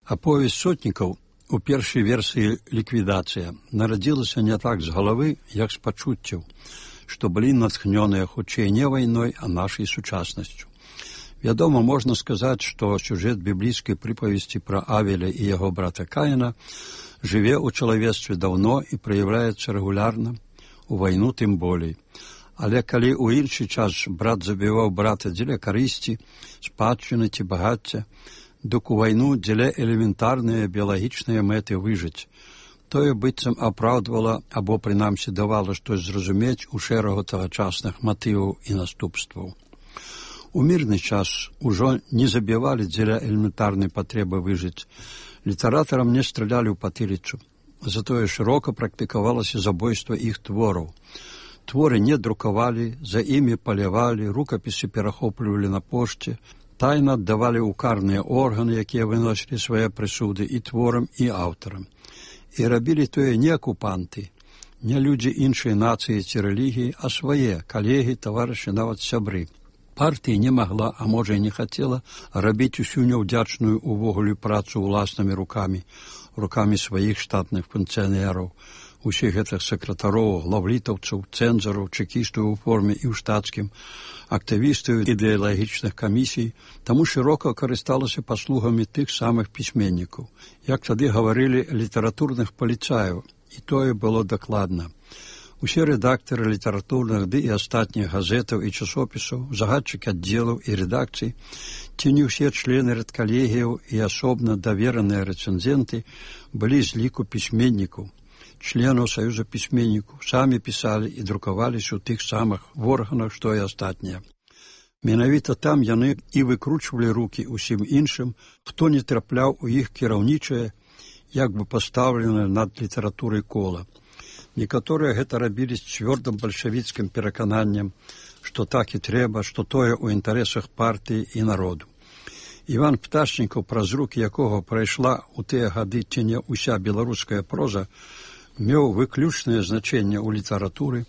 Аповесць сотнікаў у першай версіі ліквідацыя нарадзілася не так з галавы, як з пачуццяў, што былі натхнёныя хутчэй не вайной, а нашай сучаснасцю. Вядома, можна сказаць, што сюжэт біблійскай прыпавесці пра Авеля і яго брата Каіна жыве ў чалавецтве даўно і праяўляецца рэгулярна, у вайну тым болей. Але калі ў іншы час брат забіваў брата дзеля карысці, спадчыны ці багацця, дык у вайну дзеля элементарныя біялагічныя мэты выжыць. Тое быццам апраўдвала або, прынамсі, давала штось зразумець у шэрагу тагачасных матываў і наступстваў. У мірны час ужо не забівалі дзеля элементарнай патрэбы выжыць. Літаратарам не стралялі ў патыліцу. Затое шырока практыкавалася забойства іх твораў. Творы не друкавалі, за імі палявалі, рукапісы перахоплівалі на пошце, тайна аддавалі ў карныя органы, якія выносілі свае прысуды і творам, і аўтарам. І рабілі тое не акупанты, не людзі іншай нацыі ці рэлігіі, а свае калегі, таварышы, нават сябры. Партія не магла, а можа і не хацела, рабіць усю няўдзячную увогуле працу ўласнымі рукамі сваіх штатных функцыянераў, усіх гэтых сакратароў, главлітаўцаў, цэнзараў, чекістаў у форме і ў штатскім, актывістаў ідэалагічных камісій, таму шырока карысталася паслугамі тых самых пісьменнікаў. Як тады гаварылі, літаратурных паліцаяў, і тое было дакладна. Усе рэдактары літаратурных ды і астатніх газетаў і часопісаў, загадчыкі аддзелаў і рэдакцый, ці не ўсе члены рэдкалегіяў і асобна давераныя рэцэнзенты былі з ліку пісьменнікаў, членаў Саюза пісьменнікаў, самі пісалі і друкаваліся ў тых самых органах, што і астатнія. Менавіта там яны і выкручвалі рукі ўсім іншым, хто не трапляў у іх кіраўнічае, як бы пастаўленае над літаратурай кола. Некаторыя гэта рабілі з цвёрдым бальшавіцкім перакананнем, што так і трэба, што тое ў інтарэсах партыі і народу. Іван Пташнікаў, праз рукі якога прайшла ў тыя гады ці не ўся беларуская проза, меў выключнае значэнне ў літаратуры,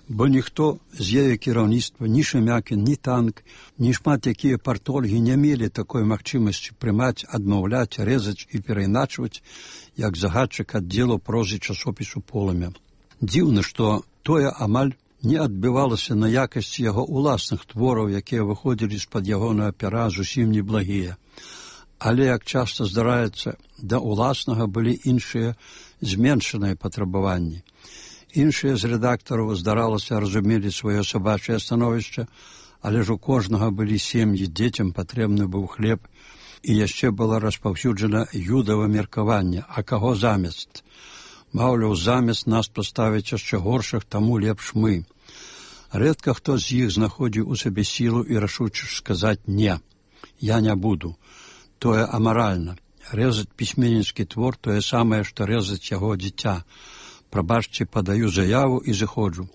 бо ніхто з яе кіраўніцтва, ні Шемякін, ні Танк, ні шмат якія партольгі не мелі такой магчымасці прымаць, адмаўляць, рэзаць і перайначваць, як загадчык аддзелу прозы часопісу «Полымя». Дзіўна, што тое амаль не адбівалася на якасці яго ўласных твораў, якія выходзілі з-пад ягонага пера зусім неблагія. Але, як часта здараецца, да ўласнага былі іншыя зменшаныя патрабаванні. Іншыя з рэдактараў, здаралася, разумелі сваё сабачае становішча, але ж у кожнага былі сем'і, дзецям патрэбны быў хлеб, і яшчэ было распаўсюджана юдава меркаванне, а каго замест? Маўляў, замест нас паставіць яшчэ горшых, таму лепш мы. Рэдка хто з іх знаходзіў у сабе сілу і рашучасць сказаць «не, я не буду». Тое амаральна. Рэзаць пісьменніцкі твор тое самае, што рэзаць яго дзіця. Прабачце, падаю заяву і зыходжу.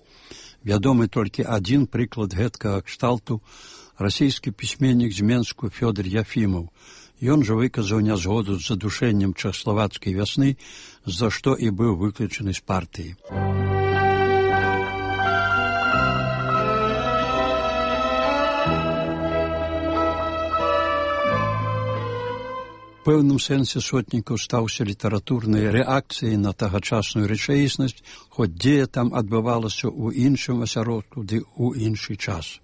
Вядомы толькі адзін прыклад гэткага кшталту – расійскі пісьменнік з Менску Фёдор Яфімаў. Ён жа выказаў нязгоду з задушэннем чэхаславацкай вясны, за што і быў выключаны з партыі. У пэўным сэнсе Сотнікаў стаўся літаратурнай рэакцыяй на тагачасную рэчаіснасць, хоць дзея там адбывалася ў іншым асяродку ды ў іншы час.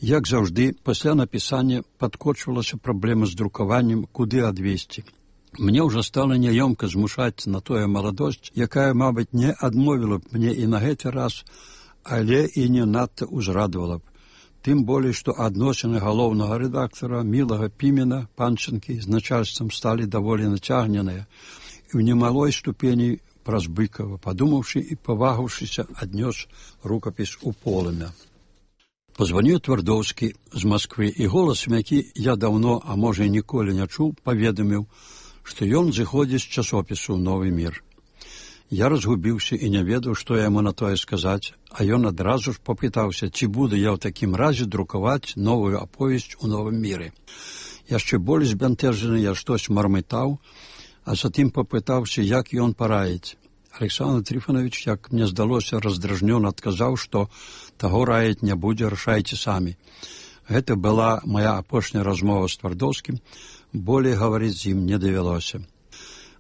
Як заўжды, пасля напісання падкочвалася праблема з друкаваннем, куды адвесці. Мне ўжо стала няёмка змушаць на тое маладосць, якая, мабыць, не адмовіла б мне і на гэты раз, але і не надта ўзрадавала б. Тым болей, што адносіны галоўнага рэдактара Мілага Пімена, Панчынкі, з начальствам сталі даволі нацягненыя і ў немалой ступені праз Быкава, падумаўшы і павагаўшыся, аднёс рукапіс у «Полымя». Позваніў Твардоўскі з Масквы, і голасам, які я даўно, а можа і ніколі не чуў, паведаміў, што ён зыходзіць з часопісу «Новы мір». Я разгубіўся і не ведаў, што яму на тое сказаць, а ён адразу ж папытаўся, ці буду я ў такім разе друкаваць новую аповесць у «Новым міры». Яшчэ болей збянтэжаны я штось мармытаў, а затым папытаўся, як ён параіць. Александр Трифонович, як мне здалося, раздражнёна адказаў, што таго раіць не будзе, рашайце самі. Гэта была моя апошняя размова з Твардоўскім, болей гаварыць з ім не давялося.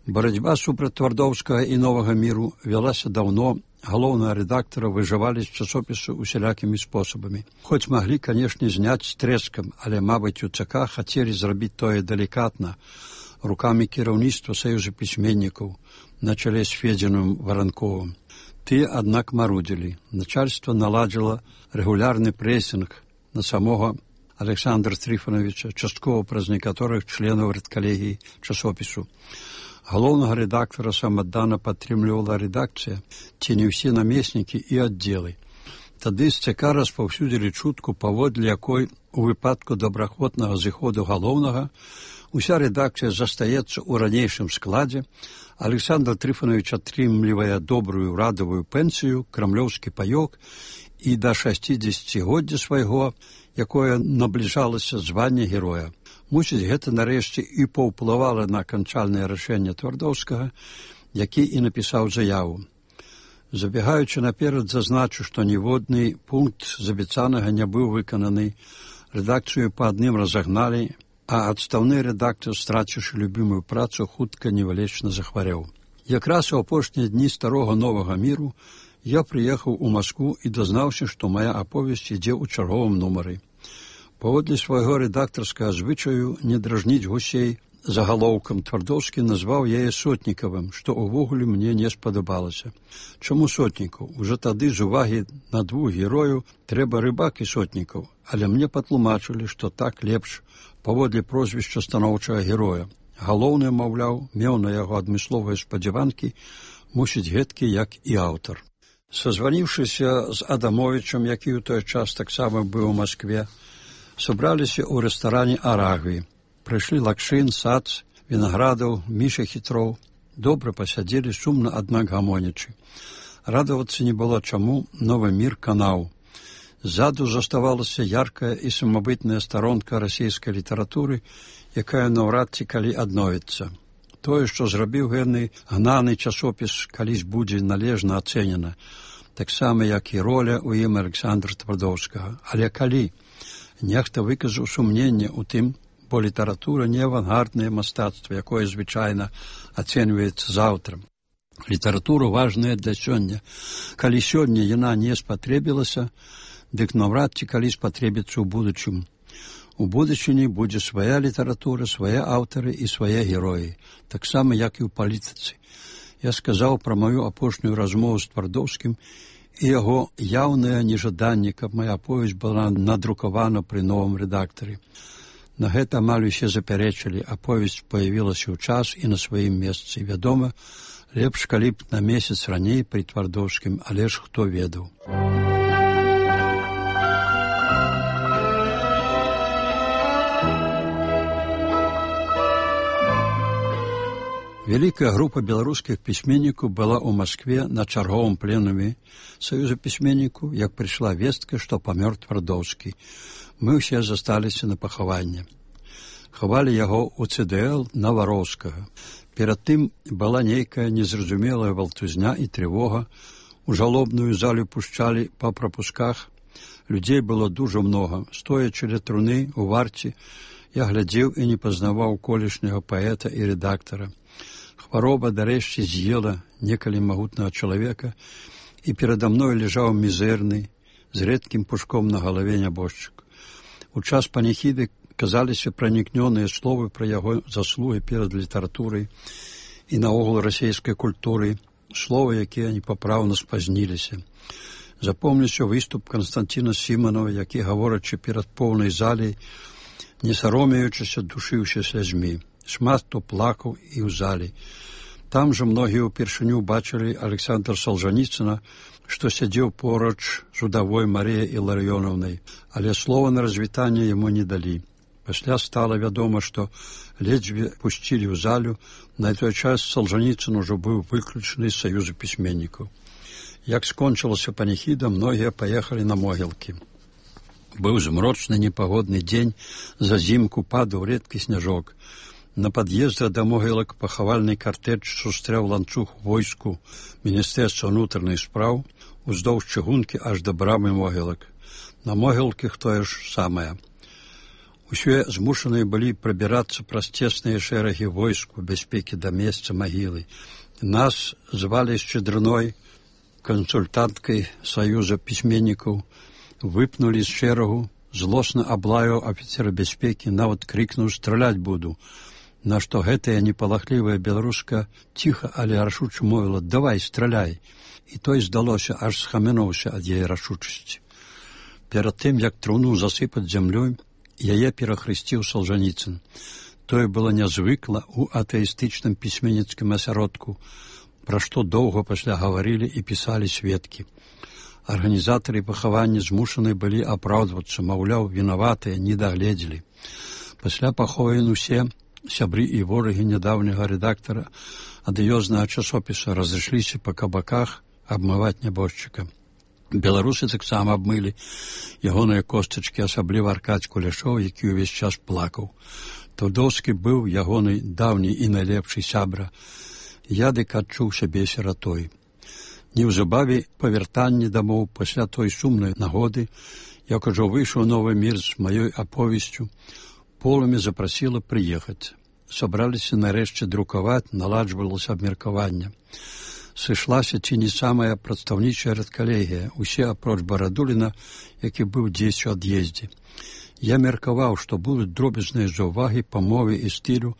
Барацьба супраць твардоўскага і новага міру вялася даўно. Галоўнага рэдактара выжывалі з часопісу усялякімі спосабамі. Хоць маглі, канешне, зняць з трэскам, але, мабыць, у ЦК хацелі зрабіць тое далікатна, рукамі кіраўніцтва Саюза пісьменнікаў на чале з Федзіным Варанковым. Тыя, аднак, марудзілі. Начальства наладзіла рэгулярны прэсінг на самога Александра Трифоновича, часткова праз некаторых членаў рэдкалегіі часопісу. Галоўнага рэдактара самаддана падтрымлівала рэдакцыя, ці не ўсе намеснікі і аддзелы. Тады з ЦК распаўсюдзілі чутку, паводле якой у выпадку добраахвотнага зыходу галоўнага уся рэдакцыя застаецца ў ранейшым складзе, Александр Трифонович атрымлівае добрую радавую пенсію, крамлёўскі паёк і да 60годдзя свайго, якое набліжалася звання героя. Мусіць, гэта нарэшце і паўплывала на аканчальнае рашэнне Твардоўскага, які і напісаў заяву. Забегаючы наперад, зазначу, што ніводны пункт з абяцанага не быў выкананы, рэдакцыю па адным разагналі, а адстаўны рэдактар, страціўшы любімую працу, хутка невалечна захварэў. Якраз у апошнія дні старога новага міру я прыехаў у Маскву і дазнаўся, што мая аповесць ідзе ў чарговым нумары. Паводле свайго рэдактарскага звычаю не дражніць гусей загалоўкам, Твардоўскі назваў яе Сотнікавым, што ўвогуле мне не спадабалася. Чаму Сотнікаў? Ужо тады з увагі на двух герою трэба Рыбак і Сотнікаў, але мне патлумачылі, што так лепш паводле прозвішча станоўчага героя. Галоўны, маўляў, меў на яго адмысловыя спадзяванкі, мусіць гэткі, як і аўтар. Сазваніўшыся з Адамовічам, які ў той час таксама быў у Маскве, сабраліся ў рэстаране «Арагві». Прыйшлі Лакшын, Сац, Вінаградаў, Міша Хітроў. Добра пасядзелі, сумна, аднак гамонячы. Радавацца не было чаму, новы мір канаў. Ззаду заставалася яркая і самабытная старонка расійскай літаратуры, якая наўрад ці калі адновіцца. Тое, што зрабіў гэны гнаны часопіс, калісь будзе належна ацэнена, таксама, як і роля ў ім Александра Твардоўскага. Але калі? Нехта выказаў сумненне ў тым, бо літаратура не авангарднае мастацтва, якое звычайна ацэньваецца заўтра. Літаратура важная для сёння. Калі сёння яна не спатрэбілася, дык наўрад ці калі спатрэбіцца ў будучым. У будучыні будзе свая літаратура, свае аўтары і свае героі, таксама, як і ў палітыцы. Я сказаў пра маю апошнюю размову з Твардоўскім і яго яўнае нежаданне, каб мая аповесць была надрукавана пры новым рэдактары. На гэта амаль усе запярэчылі, аповесць паявілася ў час і на сваім месцы. Вядома, лепш, калі б на месяц раней пры Твардоўскім, але ж хто ведаў. Вялікая група беларускіх пісьменнікаў была ў Маскве на чарговым пленуме Саюза пісьменнікаў, як прыйшла вестка, што памёр Твардоўскі. Мы ўсе засталіся на пахаванне. Хавалі яго ў ЦДЛ Навароўскага. Перад тым была нейкая незразумелая валтузня і трывога. У жалобную залю пушчалі па прапусках. Людзей было дужа многа. Стоячы ля труны у варце, я глядзеў і не пазнаваў колішняга паэта і рэдактара. Хвароба дарэшце з'ела некалі магутнага чалавека, і перада мной ляжаў мізэрны, з рэдкім пушком на галаве нябожчык. У час паніхіды казаліся пранікнёныя словы пра яго заслугі перад літаратурай і наогул расійскай культурай, словы, якія непапраўна спазніліся. Запомніўся выступ Канстанціна Сіманова, які, гаворачы перад поўнай залей, не саромеючыся, душыўся слязьмі. Шмат хто плакаў і ў залі. Там жа многія ўпершыню бачылі Александра Солжаніцына, што сядзеў поруч з удавой Марыяй Іларыёнаўнай, але слова на развітанне яму не далі. Пасля стала вядома, што ледзьве пусцілі ў залю, на той час Солжаніцын ужо быў выключаны з Саюза пісьменнікаў. Як скончылася паніхіда, многія паехалі на могілкі. Быў змрочны непагодны дзень, зазімку падаў рэдкі сняжок. На пад'езда да могілак пахавальны картэж сустрэў ланцуг войску Міністэрства ўнутраных спраў уздоўж чыгункі аж да брамы могілак. На могілках тое ж самае. Усе змушаныя былі прабірацца праз цесныя шэрагі войск у бяспекі да месца магілы. Нас звалі Шчедрыной, кансультанткай Саюза пісьменнікаў, выпнулі з шэрагу, злосна аблаяў афіцера бяспекі, нават крыкнуў «Страляць буду», на што гэтая непалахлівая беларуска ціха, але рашуча мовіла «Давай, страляй». І той, здалося, аж схамянуўся ад яе рашучасці. Перад тым, як труну засыпаць зямлёй, яе перахрысціў Салжаніцын. Тое было нязвыкла ў атэістычным пісьменніцкім асяродку, пра што доўга пасля гаварылі і пісалі сведкі. Арганізатары пахавання змушаны былі апраўдвацца, маўляў, вінаватыя, не дагледзелі. Пасля пахован усе сябры і ворагі нядаўняга рэдактара адыёзнага часопіса разышліся па кабаках абмываць нябожчыка. Беларусы таксама абмылі ягоныя костачкі, асабліва Аркадзь Куляшоў, які ўвесь час плакаў. Твардоўскі быў ягоны даўні і найлепшы сябра. Я дык адчуў сябе сіратой. Неўзабаве па вяртанні дамоў пасля той сумнай нагоды, як ужо выйшаў новы мір з маёй аповесцю, полымя запрасіла прыехаць. Сабраліся нарэшце друкаваць, наладжвалася абмеркаванне. Сышлася ці не самая прадстаўнічая рэдкалегія, усе апроч Барадуліна, які быў дзесь у ад'ездзе. Я меркаваў, што будуць дробязныя заўвагі па мове і стылю,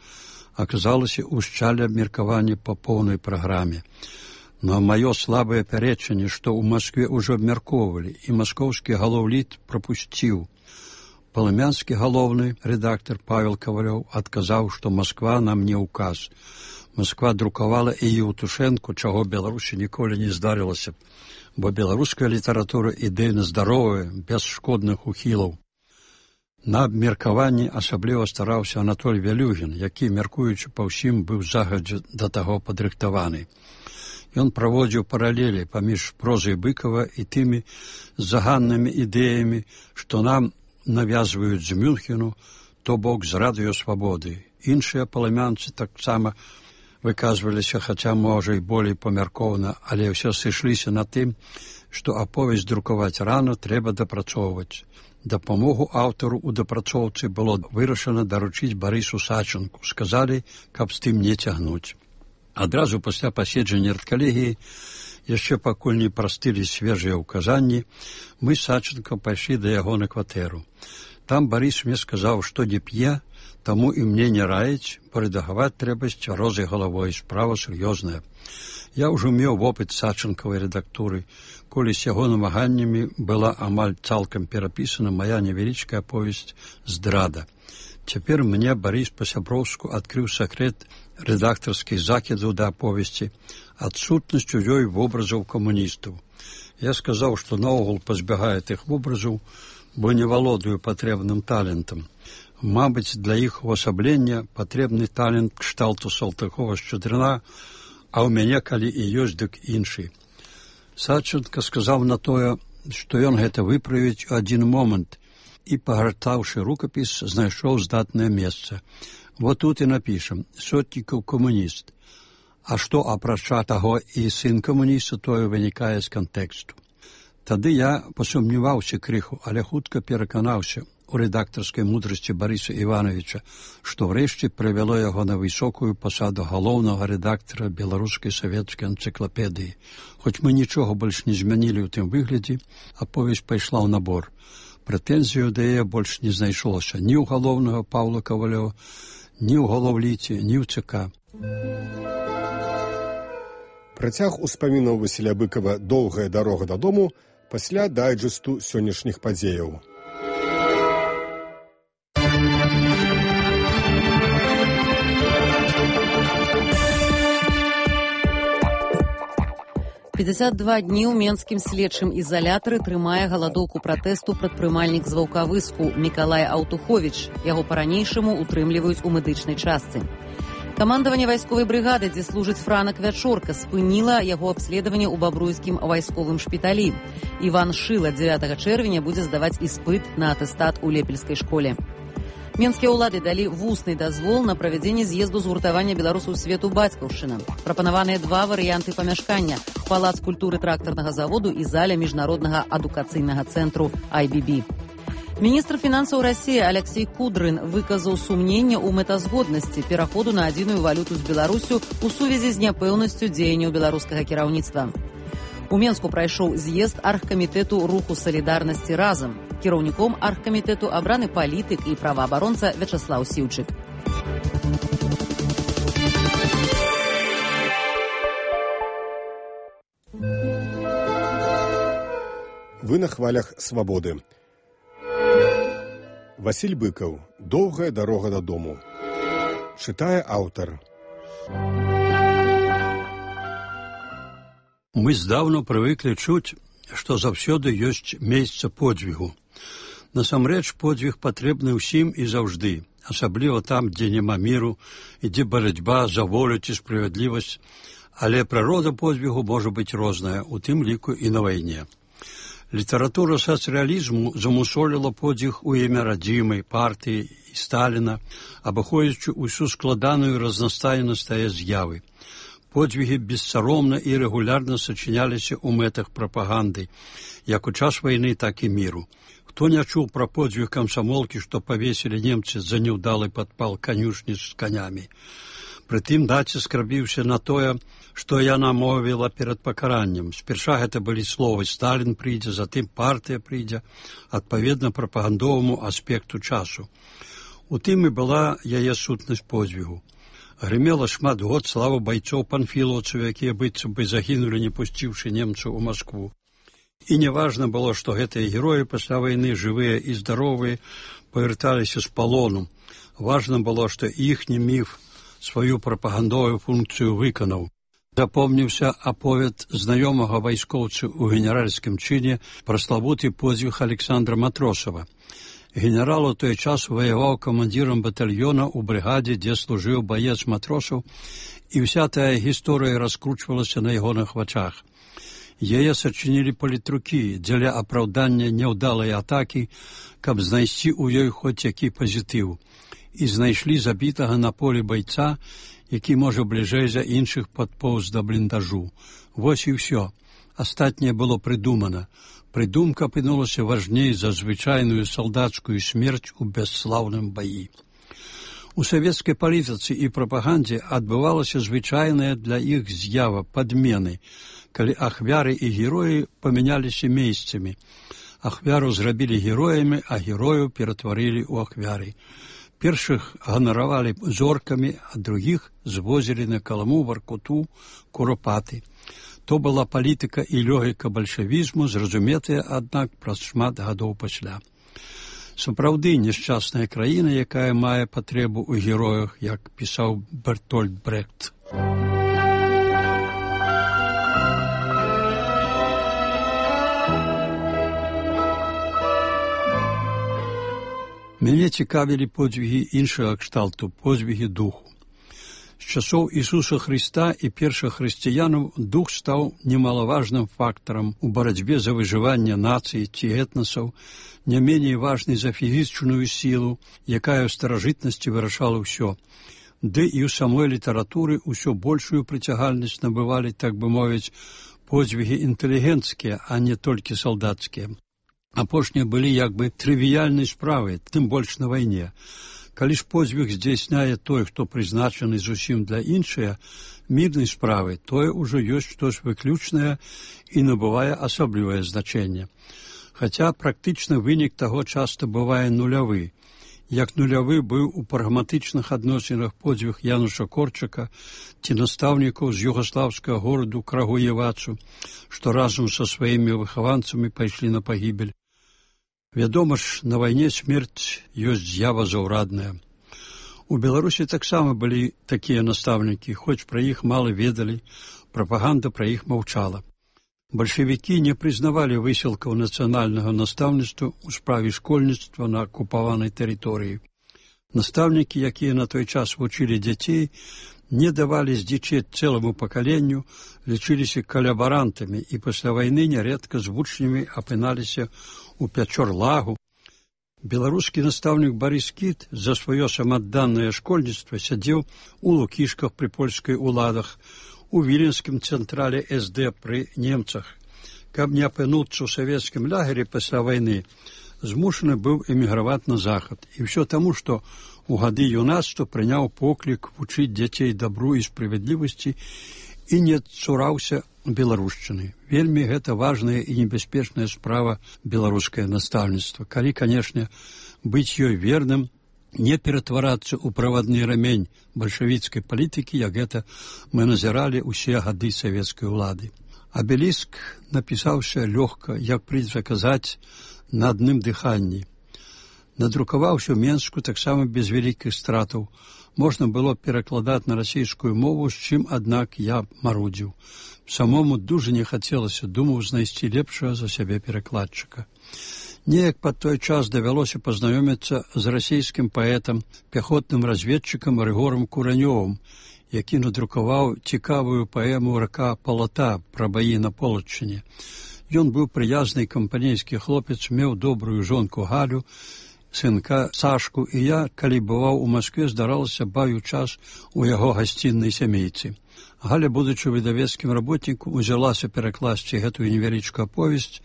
аказалася ўшчалі абмеркаванне па поўнай праграме. Но маё слабае пярэчанне, што ў Маскве ўжо абмяркоўвалі, і маскоўскі галоўліт прапусціў. Палымянскі галоўны рэдактар Павел Кавалёў адказаў, што Масква нам не ўказ. Масква друкавала і Еўтушэнку, чаго Беларусі ніколі не здарылася, бо беларуская літаратура ідэйна здаровая, без шкодных ухілаў. На абмеркаванні асабліва стараўся Анатоль Вялюгін, які, мяркуючы па ўсім, быў загадзя да таго падрыхтаваны. Ён праводзіў паралелі паміж прозай Быкава і тымі заганнымі ідэямі, што нам навязваюць з Мюнхену, то бок з радыёсвабоды. Іншыя палымянцы таксама выказваліся, хаця, можа, і болей памяркоўна, але ўсе сышліся на тым, што аповесць друкаваць рана трэба дапрацоўваць. Дапамогу аўтару ў дапрацоўцы было вырашана даручыць Барысу Сачынку. Сказалі, каб з тым не цягнуць. Адразу пасля паседжання рэдкалегіі, яшчэ пакуль не прастылі свежыя ўказанні, мы з Сачынкам пайшлі да яго на кватэру. Там Барыс мне сказаў, што не п'е, таму і мне не раіць, бо рэдагаваць трэба з цвярозай галавой, справа сур'ёзная. Я ўжо меў вопыт Сачынкавай рэдактуры, колі з яго намаганнямі была амаль цалкам перапісана мая невялічкая аповесць «Здрада». Цяпер мне Барыс па-сяброўску адкрыў сакрэт рэдактарскіх закідаў да аповесці, адсутнасць у ёй вобразаў камуністаў. Я сказаў, што наогул пазбягае тых вобразаў, бо не валодаю патрэбным талентам. Мабыць, для іх увасаблення патрэбны талент кшталту Салтыкова-Шчедрына, а ў мяне, калі і ёсць, дык іншы. Сачынка сказаў на тое, што ён гэта выправіць у адзін момант і, пагартаўшы рукапіс, знайшоў здатнае месца. Вот тут і напішам «Сотнікаў камуніст». А што, апрача таго і сын камуніста, тое вынікае з кантэксту. Тады я пасумняваўся крыху, але хутка пераканаўся у рэдактарскай мудрасці Барыса Івановича, што ўрэшце прывяло яго на высокую пасаду галоўнага рэдактара беларускай савецкай энцыклапедыі. Хоць мы нічога больш не змянілі ў тым выглядзе, аповесць пайшла ў набор. Прэтэнзію да яе больш не знайшлося ні ў галоўнага Паўла Кавалёва, ні ў галоўліце, ні ў ЦК. Працяг успамінаў Васіля Быкава «Доўгая дарога дадому» пасля дайджэсту сённяшніх падзеяў. «52 дні ў менскім следчым ізалятары трымае галадоўку пратэсту прадпрымальнік з Ваўкавыску Мікалай Аўтуховіч. Яго па-ранейшаму утрымліваюць у медычнай частцы. Камандаванне вайсковай брыгады, дзе служыць Франак Вячорка, спыніла яго абследаванне ў бабруйскім вайсковым шпіталі. Іван Шыла 9 чэрвеня будзе здаваць іспыт на атэстат у Лепельскай школе. Менскія ўлады далі вусны дазвол на правядзенне з'езду згуртавання беларусаў свету «Бацькаўшчына». Прапанаваныя два варыянты памяшкання – палац культуры трактарнага заводу і заля міжнароднага адукацыйнага цэнтру IBB. Міністр фінансаў Расіі Алексей Кудрын выказаў сумненне ў мэтазгоднасці пераходу на адзіную валюту з Беларусю ў сувязі з няпэўнасцю дзеянняў беларускага кіраўніцтва. У Менску прайшоў з'езд аргкамітэту руху салідарнасці разам. Кіраўніком аргкамітэту абраны палітык і праваабаронца Вячаслаў Сіўчык. Вы на хвалях свабоды. Васіль Быкаў. Доўгая дарога дадому. Чытае аўтар. Мы здаўна прывыклі чуць, што заўсёды ёсць месца подзвігу. Насамрэч, подзвіг патрэбны ўсім і заўжды, асабліва там, дзе няма міру, ідзе барацьба за волю ці справядлівасць, але прырода подзвігу можа быць розная, у тым ліку і на вайне. Літаратура сацыялізму замусоліла подзвіг у імя радзімай, партыі і Сталіна, абыходзячы ўсю складаную разнастайнасць тае з'явы. Подзвігі бессаромна і рэгулярна сачыняліся ў мэтах прапаганды, як у час вайны, так і міру. Хто не чуў пра подзвіг камсамолкі, што павесілі немцы за няўдалы падпал канюшні з канямі? Прытым націск рабіўся на тое, што яна мовіла перад пакараннем. Спярша гэта былі словы «Сталін прыйдзе», затым «партыя прыйдзе», адпаведна прапагандоваму аспекту часу. У тым і была яе сутнасць подзвігу. Грымела шмат год слава байцоў панфілаўцаў, якія быццам бы загінулі, не пусціўшы немцаў у Маскву. І неважна было, што гэтыя героі пасля вайны, жывыя і здаровыя, павярталіся з палону. Важна было, што іхні міф сваю прапагандовую функцыю выканаў. Запомніўся аповед знаёмага вайскоўца ў генеральскім чыне пра славуты подзвіг Александра Матросава. Генерал у той час ваяваў камандзірам батальёна ў брыгадзе, дзе служыў баец Матросаў, і ўся тая гісторыя раскручвалася на ягоных вачах. Яе сачынілі палітрукі дзеля апраўдання няўдалай атакі, каб знайсці ў ёй хоць які пазітыў. І знайшлі забітага на полі байца, які, можа, бліжэй за іншых падпоўз да бліндажу. Вось і ўсё. Астатняе было прыдумана. Прыдумка апынулася важней за звычайную салдацкую смерць у бясслаўным баі. У савецкай палітыцы і прапагандзе адбывалася звычайная для іх з'ява падмены, калі ахвяры і героі памяняліся месцамі. Ахвяру зрабілі героямі, а герою ператварылі ў ахвяры. Першых ганаравалі зоркамі, а другіх звозілі на Каламу, Варкуту, Куропаты. То была палітыка і логіка бальшавізму, зразуметая, аднак, праз шмат гадоў пасля. Сапраўды няшчасная краіна, якая мае патрэбу ў героях, як пісаў Бертольд Брехт. Мяне цікавілі подзвігі іншага кшталту, подзвігі духу. З часоў Ісуса Хрыста і першых хрысціянаў дух стаў немалаважным фактарам у барацьбе за выжыванне нацыі ці этнасаў, не меней важнай за фізічную сілу, якая ў старажытнасці вырашала ўсё. Ды і ў самой літаратуры ўсё большую прыцягальнасць набывалі, так бы мовіць, подзвігі інтэлігенцкія, а не толькі салдацкія. Апошнія былі як бы трывіяльнай справай, тым больш на вайне. Калі ж подзвіг здзяйсняе той, хто прызначаны зусім для іншыя, мірнай справы, тое ўжо ёсць штось выключнае і набывае асаблівае значэнне. Хаця практычна вынік таго часта бывае нулявы. Як нулявы быў у прагматычных адносінах подзвіг Януша Корчака ці настаўнікаў з югаслаўскага гораду Крагуевацу, што разам са сваімі выхаванцамі пайшлі на пагібель. Вядома ж, на вайне смерць ёсць з'ява заўрадная. У Беларусі таксама былі такія настаўнікі, хоць пра іх мала ведалі, прапаганда пра іх маўчала. Бальшавікі не прызнавалі высілкаў нацыянальнага настаўніцтва ў справе школьніцтва на акупаванай тэрыторыі. Настаўнікі, якія на той час вучылі дзяцей, не давалі здзічець цэламу пакаленню, лічыліся калабарантамі і пасля вайны нярэдка з вучнямі апыналіся у Пячор-Лагу. Беларускі настаўнік Барыс Кіт за сваё самадданнае школьніцтва сядзеў у Лукішках пры польскай уладах, у Віленскім цэнтрале СД пры немцах. Каб не апынуцца ў савецкім лагеры пасля вайны, змушаны быў эміграваць на захад. І ўсё таму, што у гады юнацтва прыняў поклік вучыць дзяцей дабру і справядлівасці і не цураўся беларушчыны. Вельмі гэта важная і небяспечная справа беларускае настаўніцтва. Калі, канешне, быць ёй верным, не ператварацца ў правадны рамень бальшавіцкай палітыкі, як гэта мы назіралі ўсе гады савецкай улады. Абеліск напісаўся лёгка, як прыйдзе казаць, на адным дыханні. Надрукаваўся ў Менску таксама без вялікіх стратаў. Можна было перакладаць на расійскую мову, з чым, аднак, я марудзіў. Самому дужа не хацелася, думаў знайсці лепшага за сябе перакладчыка. Неяк пад той час давялося пазнаёміцца з расійскім паэтам, пяхотным разведчыкам Рыгорам Куранёвым, які надрукаваў цікавую паэму «Рака Палата» пра баі на Полаччыне. Ён быў прыязны кампанейскі хлопец, меў добрую жонку Галю, сынка Сашку, і я, калі бываў у Маскве, здаралася бавіў час у яго гасціннай сямейцы. Галя, будучы выдавецкім работнікам, узялася перакласці гэтую невялічкую аповесць.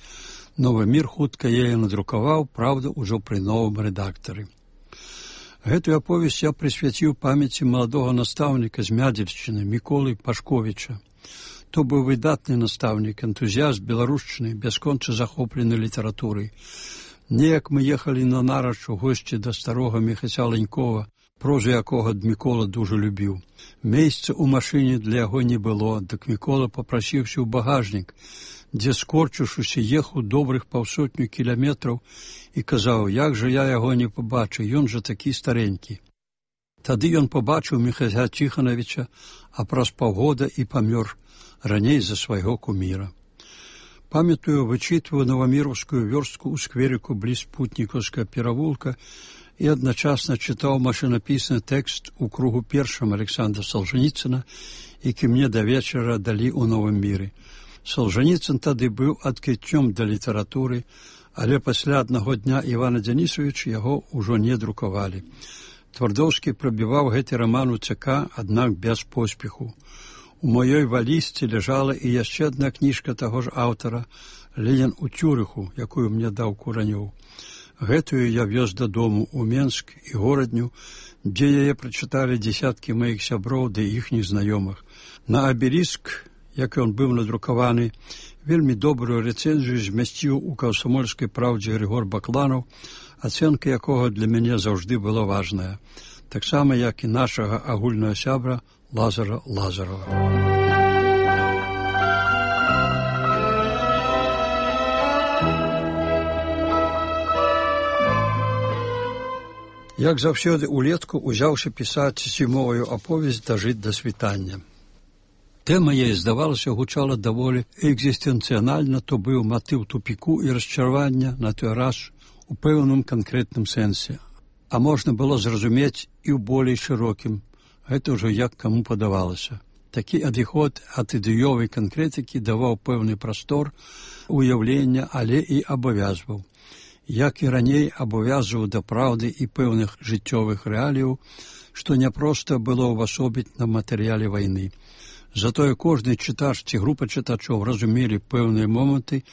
Новы мір хутка яе надрукаваў, праўда, ужо пры новым рэдактары. Гэтую аповесць я прысвяціў памяці маладога настаўніка з Мядзельшчыны Міколы Пашковіча. То быў выдатны настаўнік, энтузіяст беларушчыны, бясконца захоплены літаратурай. Неяк мы ехалі на нарач у госці да старога Міхася Ленькова, прозу якога Мікола дужа любіў. Месца ў машыне для яго не было, дык Мікола папрасіўся ў багажнік, дзе, скорчыўшыся, ехаў добрых 500 кіламетраў і казаў, як жа я яго не пабачу, ён жа такі старенькі. Тады ён пабачыў Міхася Ціханавіча, а праз паўгода і памёр раней за свайго куміра. Памятаю, вычытваю Новаміровскую вёрстку ў скверіку бліз Путнікаўскага перавулка і адначасна чытаў машынапісны тэкст у кругу першым Александра Солженіцына, які мне да вечара далі ў Новым міры. Солженіцын тады быў адкрыццём да літаратуры, але пасля аднаго дня Івана Дзянісавіча яго ўжо не друкавалі. Твардоўскі прабіваў гэты раман у ЦК, аднак без поспеху. У маёй валізцы ляжала і яшчэ адна кніжка таго ж аўтара «Ленін у Цюрыху», якую мне даў Куранёў. Гэтую я вёз дадому ў Менск і горадню, дзе яе прачыталі дзесяткі маіх сяброў ды іхніх знаёмых. На абеліск, як ён быў надрукаваны, вельмі добрую рэцэнзію змясціў у «Камсамольскай праўдзе» Григор Бакланаў, ацэнка якога для мяне заўжды была важная, таксама як і нашага агульнага сябра Лазара Лазарова. Як заўсёды улетку узяўся пісаць зімовую аповесць «Дажыць да світання». Тэма яе, здавалася, гучала даволі экзістэнцыянальна, то быў матыў тупіку і расчаравання на той раз у пэўным канкрэтным сэнсе. А можна было зразумець і ў болей шырокім. Гэта ўжо як каму падавалася. Такі адыход ад ідэёвай канкрэтыкі даваў пэўны прастор уяўлення, але і абавязваў. Як і раней абавязваў да праўды і пэўных жыццёвых рэаліяў, што няпроста было ўвасобіць на матэрыяле вайны. Затое кожны чытач ці група чытачоў разумелі пэўныя моманты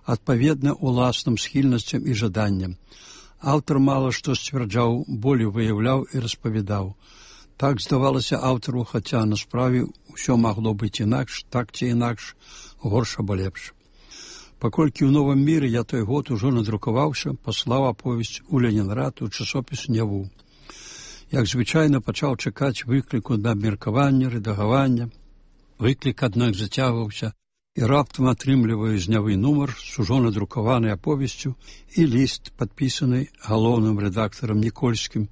адпаведна уласным схільнасцям і жаданням. Аўтар мала што сцвярджаў, болей выяўляў і распавядаў. Так здавалася аўтару, хаця на справе ўсё магло быць інакш, так ці інакш, горш або лепш. Паколькі ў Новым міры я той год ужо надрукаваўся, паслаў аповесць у Ленінград у часопіс «Няву». Як звычайна пачаў чакаць выкліку на абмеркаванне, рэдагавання. Выклік, аднак, зацягваўся, і раптам атрымліваю з «Нявы» нумар з ужо надрукаванай аповесцю і ліст, падпісаны галоўным рэдактарам Нікольскім,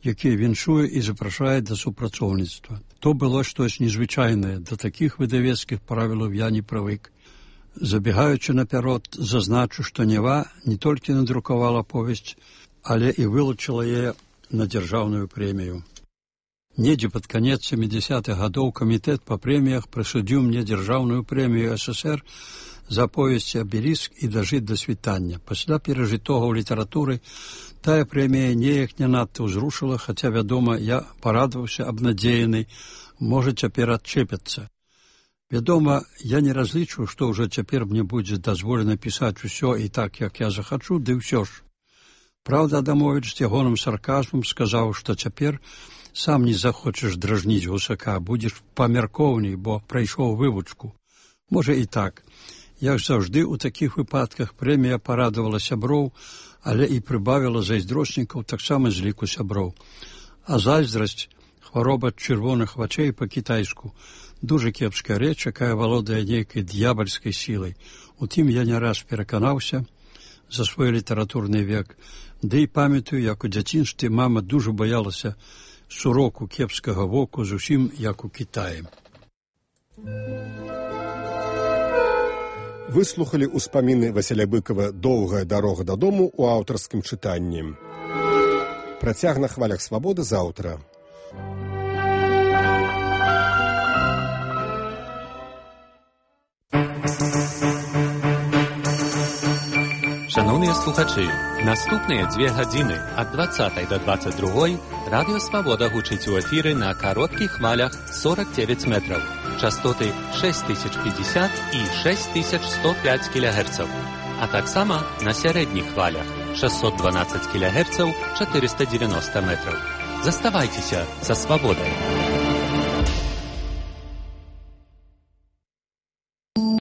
які віншуе і запрашае да супрацоўніцтва. То было штось незвычайнае, да такіх выдавецкіх правілаў я не прывык. Забегаючы наперад, зазначу, што «Нява» не толькі надрукавала повесць, але і вылучыла яе на дзяржаўную прэмію. Недзе пад канец 70-х гадоў камітэт па прэміях прысудзіў мне дзяржаўную прэмію СССР за аповесці «Абеліск» і «Дажыць да світання». Пасля перажытога ў літаратуры тая прэмія неяк не надта ўзрушыла, хаця, вядома, я парадаваўся абнадзеяны, можа, цяпер адчэпяцца. Вядома, я не разлічваю, што ўжо цяпер мне будзе дазволена пісаць усё і так, як я захачу, ды ўсё ж. Праўда, Адамовіч з ягоным сарказмам сказаў, што цяпер сам не захочаш дражніць гусака, будзеш памяркоўней, бо прайшоў вывучку. Можа і так. Як заўжды, у такіх выпадках прэмія парадавала сяброў, але і прыбавіла зайздрочнікаў таксама з ліку сяброў. А зайздрасць, хвароба чырвоных вачэй па-кітайску, дужа кепская рэч, якая валодае нейкай д'ябальскай сілай. У тым я не раз пераканаўся за свой літаратурны век, ды і памятаю, як у дзяцінстве мама дужа боялася суроку кепскага воку, зусім як у Кітаі. Выслухалі ўспаміны Васіля Быкова «Доўгая дарога дадому» у аўтарскім чытанні. Працяг на хвалях свабоды заўтра. Шановні слухачі, наступні 2 години від 20 до 22 Радіо Свобода гучить у ефірі на коротких хвалях 49 метрів, частоти 6050 і 6105 кГц, а так само на середніх хвалях 612 кГц, 490 метрів. Заставайтеся за свободою.